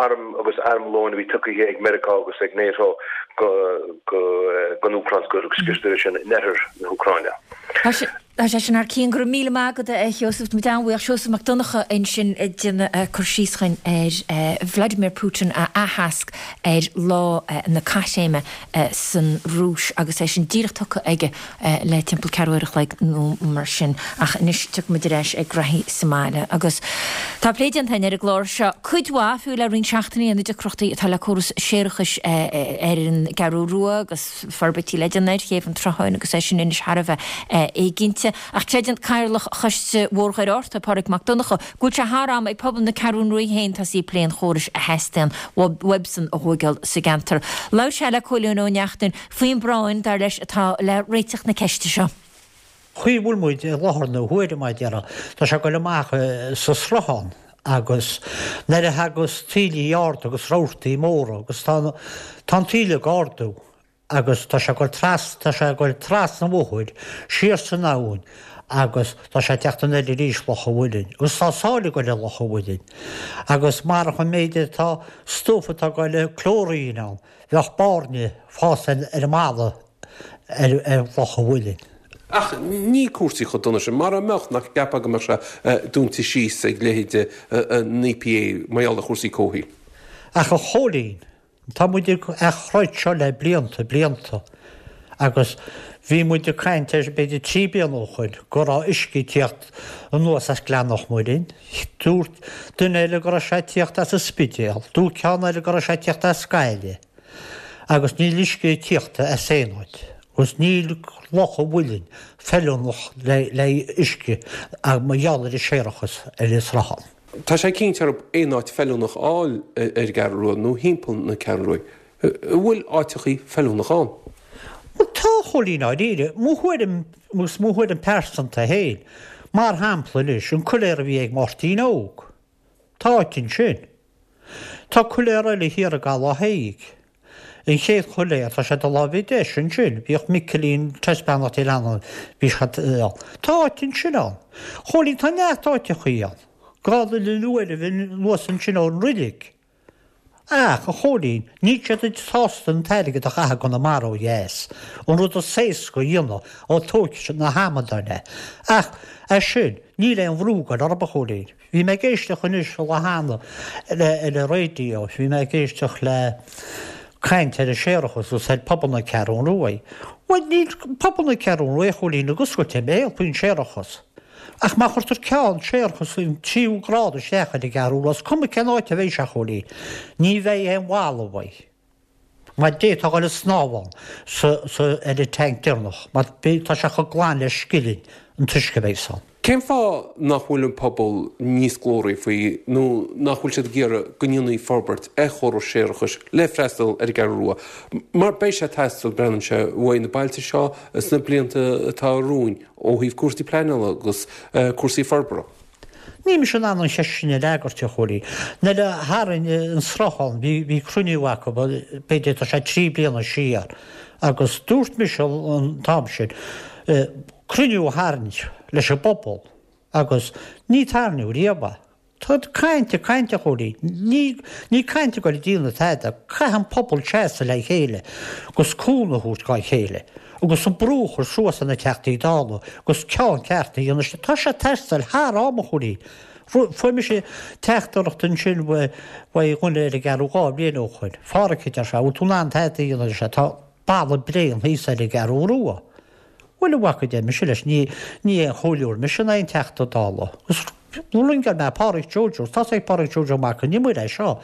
arm agus armlóin a bhí tugtha ag Meiriceá agus ag NATO go don Úcráin gur scriosadar é sin in oirthear na hÚcráine. Tá sé sin thar cionn. Go raibh míle maith agat, a Sheosaimh. Tá muid an-bhuíoch. Seosamh Mac Donncha ansin ag déanamh cur síos chugainn ar Vladimir Putin a aitheasc ar lá na caithréime san Rúis agus é sin díreach tugtha aige le timpeall ceathrú uair a chloig nó mar sin. Ach anois tiocfaidh muid ar ais ag graithí sa mbaile. Agus tá plé déanta againn ar an gclár seo cuid mhaith, fiú le roinnt seachtainí, ar na deacrachtaí atá le córas séarachais ar an gCeathrú Rua agus forbairtí le déanamh ar Chéibh an tSrutháin agus é sin anois thar a bheith éiginnte. Ach creideann Cathaoirleach Choiste Bhóthar Dhoire Fhatharta, Pádraig Mac Donncha, go bhfuil sé thar am ag pobal na Ceathrún Rua féin tosaí ag plé an chórais a theastaíonn uaibhsean a thóigeáil sa gceantar. Labhair sé le Cóilín Ó Neachtain faoin bpráinn, dar leis, atá le réiteach na ceiste seo. Chaoi a bhfuil muid i láthair na huaire, mar a déarfá, tá sé ag goil amach sa sruthán agus nuair a thagas taoillí arda agus rabhartaí móra agus tá an taoille ag ardú agus tá sé ag goil tras, tá sé ag goil trasna an bhóthair, siar san abhainn agus tá sé ag teacht anoir arís Loch an Mhuilinn agus tá sáile ag goil i Loch an Mhuilinn agus marach an méid atá stuif atá ag goil clóirín ann bheadh bairnigh fásta ar an mballa ar ar Loch an Mhuilinn. Ach níl cúrsaí chomh dona sin. Mara mbeadh, nach gceapfá go mbeadh sé dúnta síos ag leithéide an EPA mar gheall ar chúrsaí comhshaoil? Ach a Chóilín, Tá muid ag troid seo le blianta, blianta, agus bhí muid ag caint air b'fhéidir trí bliana ó shoin go raibh uisce ag tíocht anuas as Gleann Loch Muilinn. Dúirt duine eile go raibh sé ag tíocht as an Spidéal, dúirt ceann eile go raibh sé ag tíocht as Gaillimh. Agus níl uisce ag tíocht as aon áit. Agus níl Loch an Mhuilinn feiliúnach le uisce mar gheall ar an séarachas ar an sruthán. Tá sé cinnte orthu aon áit feiliúnach a fháil ar an gCeathrú Rua nó thimpeall na Ceathrún Rua. An bhfuil áiteachaí feiliúnach ann? Bhuel tá, a Chóilín, i ndáiríre. Mo thuairim, agus mo thuairim pearsanta féin, mar shampla anois, an coiléar a bhí ag Máirtín Óg. Tá áit ansin. Tá coiléar eile thiar i gCaladh Thaidhg. An chéad choiléar, tá sé do láimhe deis ansin, bhíodh Micilín taispeánach Dé Leannáin, bhí sé ann. Tá áit ansin ann. Chóilín, tá neart áiteachaí ann. Dhá dhuine uair anuas ansin ón roilig. Ach, a Chóilín, níl siad sásta an t-airgead a chaitheamh i gConamara ó dheas. An rud is éasca a dhéanamh, ó tógfaidh siad na hamadáin é. Ach, as sin, níl aon bhrú ag goil orthu, a Chóilín. Bhí mé ag éisteacht anois an lá cheana le ar an raidió, bhí mé ag éisteacht le caint ar an séarachas agus ar pobal na Ceathrún Rua. Bhuel, níl pobal na Ceathrún Rua, a Chóilín, ag oscailt a mbéal faoin séarachas. Ach má chuirtear ceann séarachais an tríú grád isteach ar an gCeathrú Rua, is cuma cén áit a bheidh sé, a Chóilín, ní bheidh aon bhalla uaidh. Mar d'fhéadfá a dhul ag snámh ann sa, sa, ar an tanc deireanach, mar beidh, tá sé chomh glan le scilling an t-uisce a bheidh ann. Cén fáth nach bhfuil an pobal níos glóraí faoi nó nach bhfuil siad ag iarraidh go ndéanfaí forbairt ar chóras séarachais le freastal ar an gCeathrú Rua? Mar beidh sé ag teastáil, breathnaíonn sé, uaidh na bailte seo sna blianta atá romhainn. Ó thaobh cúrsaí pleanála agus cúrsaí forbartha. Níl mise in ann an cheist sin a fhreagairt, a Chóilín. Nuair a tharraing an sruthán, bhí bhí cruinniú acu, b'fhéidir tá sé trí bliana siar, agus dúirt mise an t-am sin, cruinniú a tharraingt leis an bpobal agus ní tarraingíodh riamh é. Tá caint ag caint, a Chóilín. Ní ní caint ag goil ag déanamh tada. Caithfidh an pobal seasamh le chéile agus cúnamh a thabhairt dhá chéile agus an brú a chur suas ar na Teachtaí Dála agus ceann ceart a dhéanamh. Tá sé ag teastáil thar am, a Chóilín. Fuair mise teachtaireacht ansin uaidh dhuine ar an gCeathrú dhá bhliain ó shoin. A Pháraic, a deir sé, bhfuil tú in ann tada a dhéanamh, a deir sé, tá balla bréan thíos ar an gCeathrú Rua. Bhuel, a mhac, a deir mise leis, ní ní aon chomhairleoir mise ná aon Teachta Dála. Agus ringeáil mé Páraic Joe Joe, tá's ag Páraic Joe Joe Mac an Iomaire é seo.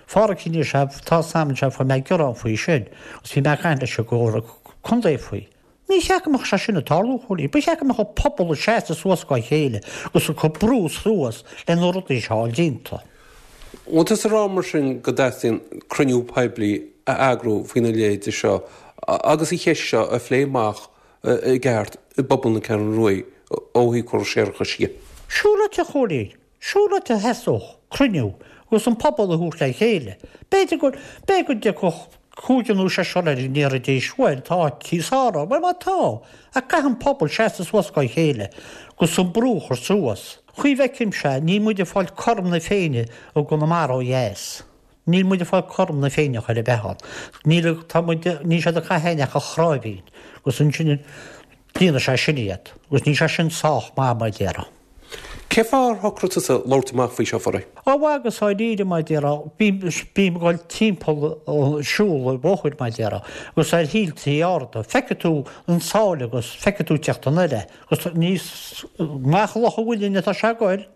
Pháraic anois, tá Sam anseo, fuair mé gearán faoi sin, agus bhí mé ag caint leis an gComhairle Contae faoi. Ní cheart go mbeadh sé sin ag tarlú, a Chóilín. Ba cheart go mbeadh an pobal ag seasamh suas dhá chéile agus ag cur brú suas le na rudaí seo a fháil déanta. Bhfuil tusa ag rá mar sin go dteastaíonn cruinniú poiblí a eagrú faoina leithéide seo agus an cheist seo a phlé amach i gceart i bpobal na Ceathrún Rua ó thaobh córas séarachais dhe? Siúráilte, a Chóilín, siúráilte theastódh cruinniú agus an pobal a thabhairt le chéile. B'fhéidir go, b'fhéidir go dtiocfadh cúigear nó seisear air go ndéarfaidís, bhuel, tá áit thíos ann, bhuel má tá, ach caithfidh an pobal seasamh suas dhá chéile agus an brú a chur suas. Chaoi a bhfeicimse, níl muid ag fáil cothrom na Féinne i gConamara ó dheas. Níl muid ag fáil cothrom na Féinne chor ar bith ann. Níl, tá muid, níl siad ag caitheamh ach an chráibhín. Agus ansin, Líonfaidh sé sin iad, agus níl sé sin sách maith, mar a déarfá. Cén fáth ar shocraigh tusa labhairt amach faoi seo, a Phádraig? Ó bhuel agus dháiríre, mar a déarfá, bím bím ag dul timpeall ag siúl an bhóthair, mar a déarfá, agus ar thíltí arda, feicfidh tú an sáile agus feicfidh tú teacht anoir agus níos amach Loch an Mhuilinn atá sé ag goil,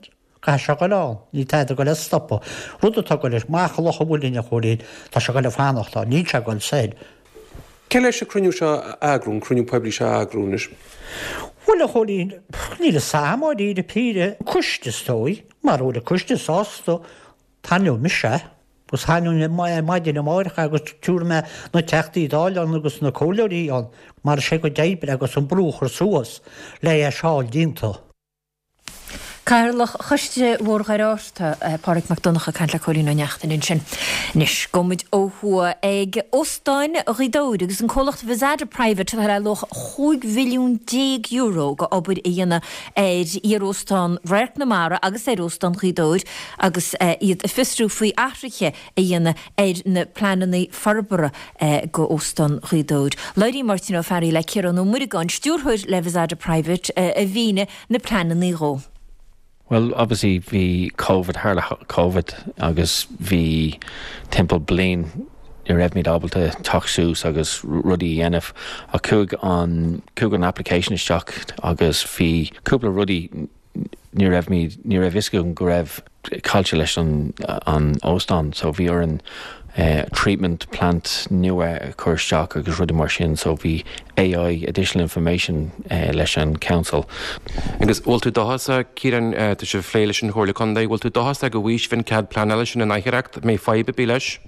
caithfidh sé goil ann, níl tada ag goil a stopadh. Rud atá ag goil amach Loch an Mhuilinn, a Chóilín, tá sé ag goil a fanacht ann, níl sé ag goil soir. Cé leis an cruinniú seo a eagrú, an cruinniú poiblí seo a eagrú anois? Bhuel, a Chóilín, níl fhios a'm dháiríre píre, an coiste is dóigh, mara bhfuil an coiste sásta, taithneoidh mise é, agus taithneoidh mé é maidin amáireach agus tabharfaidh mé na Teachtaí Dála ann agus na Comhairleoirí ann, mar is é a gcuid oibre agus an brú a chur suas le é seo a fháil déanta. Cathaoirleach Choiste Bhóthar Dhoire Fhatharta, Pádraig Mac Donncha ag caint le Cóilín Ó Neachtain ansin. Anois, gabhfaidh muid ó thuaidh ag Óstán Ghaoth Dobhair agus an comhlacht Vizada Private atá le luach chúig mhilliún déag euro go obair a dhéanamh ar iar-óstán Radharc na Mara agus ar Óstán Ghaoth Dobhair agus iad ag fiosrú faoi athruithe a dhéanamh ar na pleananna forbartha go Óstán Ghaoth Dobhair. Labhraíonn Máirtín Ó Fearraigh le Ciarán Ó Muireagáin, stiúrthóir le Vizada Private, a mhínigh na pleananna dhó. Well, obviously bhí Covid, tharla Covid agus bhí timpeall bliain ní raibh ábalta teacht suas agus rudaí a dhéanamh ach chuaigh an chuaigh an application isteach agus bhí cúpla rudaí ní raibh ní raibh fhios go raibh caillte leis an an óstán, so bhí orainn uh, treatment plant nua chur isteach agus rudaí mar sin, so bhí AI additional information uh, leis an council. Agus bhfuil tú dóchasach Ciarán uh, tá sibh ag plé leis an Chomhairle Contae, bhfuil tú dóchasach go bhfaighidh sibh an cead pleanála sin in aicheacht mé fadhb bí leis?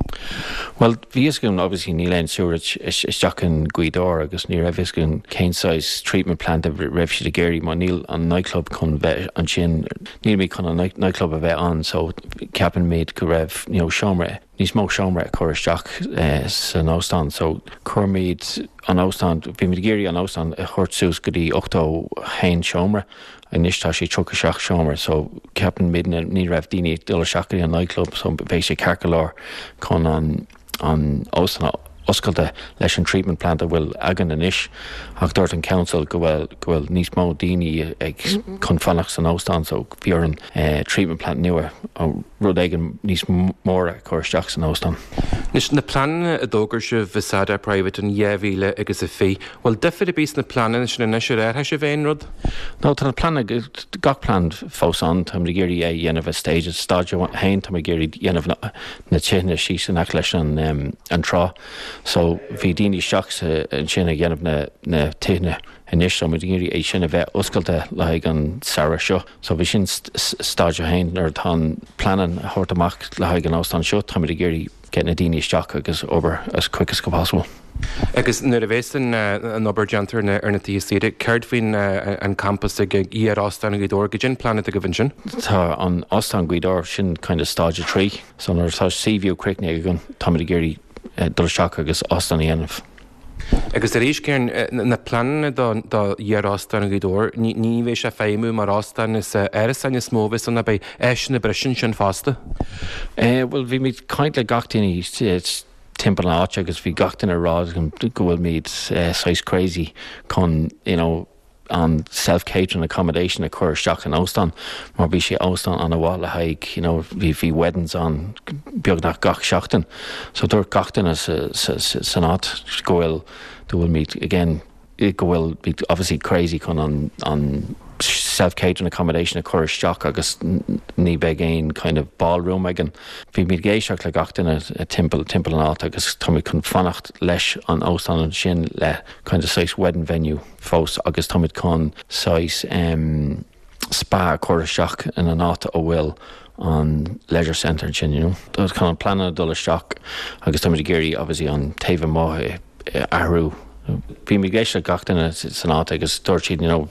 Well bhí fhios againn obviously níl aon sewerage isteach in Gaoth Dobhair agus ní raibh fhios againn cén size treatment plant a raibh siad ag iarraidh má níl an nightclub chun bheith ansin níl mé chun an nightclub a bheith ann so ceapann mé go raibh you know, seomra níos mó seomra a chur isteach eh, san óstán so chuirmid an óstán bhí muid ag iarraidh an óstán a chur suas go dtí ochtó haon seomra anois tá sé tríocha seacht seomra so ceapann muid ní raibh daoine dul isteach an nightclub so bheidh sé ceart go leor chun an an óstán oscailte leis an treatment plant a bhfuil againn anois ach dúirt an council go bhfuil go bhfuil níos mó daoine ag chun fanacht san óstán so bhí an eh, treatment plant nua rud éigin níos mór a chur isteach san óstán. Anois na pleananna a d'fhógair sibh Vizada Private in dhá mhíle agus a fiche, bhfuil difear ar bith sna pleananna sin anois ar athraigh sibh aon rud? No tá na pleananna gach plean fós ann tá ag iarraidh é dhéanamh a stage stage a haon tá ag iarraidh dhéanamh na, na tithe síos in aice leis an um, an trá. So bhí daoine isteach ansin ag dhéanamh na, na tithe anois so muid ag iarraidh é sin a bheith oscailte le haghaidh an samhradh seo. So bhí sin stage a haon nuair atá an plean a thabhairt amach le haghaidh an óstán seo tá muid ag iarraidh get na daoine isteach agus obair as quick as possible. Agus nuair a bheas an an obair déanta ar na tithe saoire, céard faoin an campas ag iar-óstán Ghaoth Dobhair goidé an plean atá agaibh ansin? Tá an óstán Gaoth Dobhair sin kind of stage a trí, so nuair atá Seaview críochnaithe againn tá muid ag iarraidh dul isteach agus óstán a dhéanamh. Agus arís Ciarán na pleananna do iar-óstán Ghaoth Dobhair, ní bheidh sé feidhmiú mar óstán is árasáin is mó a bheas ann beidh áiseanna breise ansin fosta. Eh, well bhí muid caint le gach duine timpeall an áit agus bhí gach duine rá go bhfuil muid uh, saghas crazy chun you know, an self-catering accommodation a chur isteach in óstán mar bhí sé óstán an-mhaith le haghaidh you know, bhí bhí weddings an beagnach gach seachtain. So dúirt gach duine san áit go bhfuil go bhfuil muid again go bhfuil muid obviously crazy chun an, an self-catering accommodation a chur isteach agus ní bheidh aon kind of ballroom againn. Bhí muid ag éisteacht le gach duine timpeall timpeall an áit agus tá chun fanacht leis an óstán sin le kind of saghas wedding venue fós agus tá chun saghas um, spa chur isteach in an áit a bhfuil an leisure centre sin you know. Tá an plean dul isteach agus tá ag iarraidh obviously an taobh amuigh athrú Bhí mé ag éisteacht le gach duine san áit agus dúirt siad you know,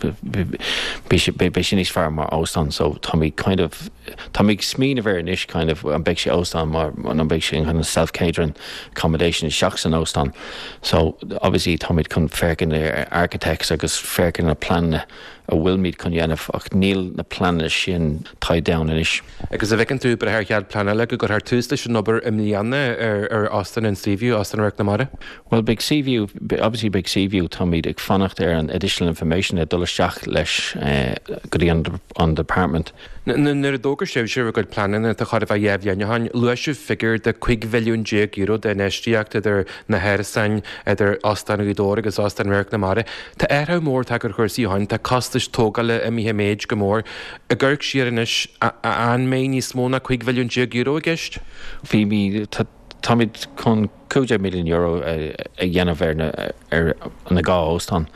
beidh sé níos fearr mar óstán so tá mé kind of tá mé smaoineamh ar anois kind of an beidh sé óstán mar an beidh sé kind of self-catering accommodation isteach san óstán so obviously tá muid chun féachaint ar architects agus féachaint na pleananna a bhfuilmid chun dhéanamh ach níl na pleananna sin tied down anois. Agus an bhfeiceann tú breith ar chead pleanála go gcuirfear tús leis an obair i mbliana ar ar Óstán an Seaview, Óstán Radharc na Mara? Well beidh Seaview, obviously beidh Seaview táimid ag fanacht ar an additional information ag dul isteach leis go dtí an an department. Nuair a d'fhógair sibh bhur gcuid pleananna tá chóir a bheith dhá bhliain ó shin, luaigh sibh figiúr de cúig mhilliún déag euro d'infheistíocht idir na hárasáin, idir Óstán Ghaoth Dobhair agus Óstán Radharc na Mara. Tá athrú mór tagtha ar chúrsaí ó shin, tá costais tógála imithe i méid go mór. Ag amharc siar anois, an mbeidh níos mó ná cúig mhilliún déag euro i gceist? Bhí mí, táimid chun cúig déag milliún euro a dhéanamh ar na ar na dhá óstán.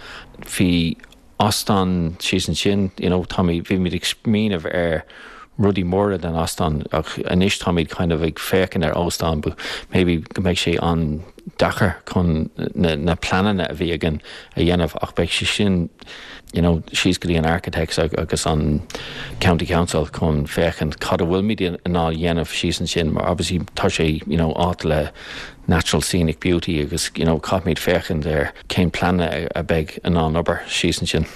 Bhí óstán síos ansin, you know, táimid, bhímid ag smaoineamh ar rudaí móra den óstán ach anois táimid kind of ag féachaint ar óstán but maybe go mbeidh sé an-deacair chun na, na pleananna a bhí againn a dhéanamh ach beidh sé sin you know, síos go dtí an architects agus an County Council chun féachaint cad a bhfuilmid in ann a dhéanamh síos ansin mar obviously tá sé you know, áit le natural scenic beauty agus you know, caithfimid féachaint ar cén pleananna a bheidh in ann obair síos ansin.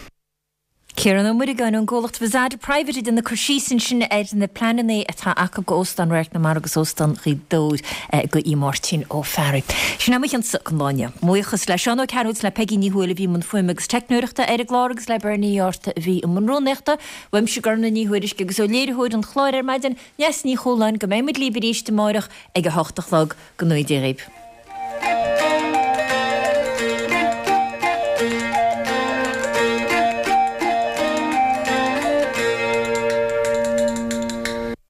Ciarán Ó Muireagáin ón gcomhlacht Vizada Private ag déanamh cur síos ansin ar na pleananna atá acu go Óstán Radharc na Mara agus Óstán Ghaoth Dobhair go Aodh Máirtín Ó Fearraigh. Sin é mo chionsa don lá inniu. Buíochas le Seán Ó Cearúil is le Peigí Ní Thuathail a bhí i mbun fuaime agus teicneoireachta ar an gclár agus le Bernie Uí Fhátharta a bhí i mbun rúnaíochta. Uaimse Gormlaith Ní Thuairisg agus ó léiritheoir an chláir ar maidin, Neasa Ní Chualáin, go mbeidh muid libh arís amárach ag a hocht a chlog. Go ngnóthaí Dia dhaoibh.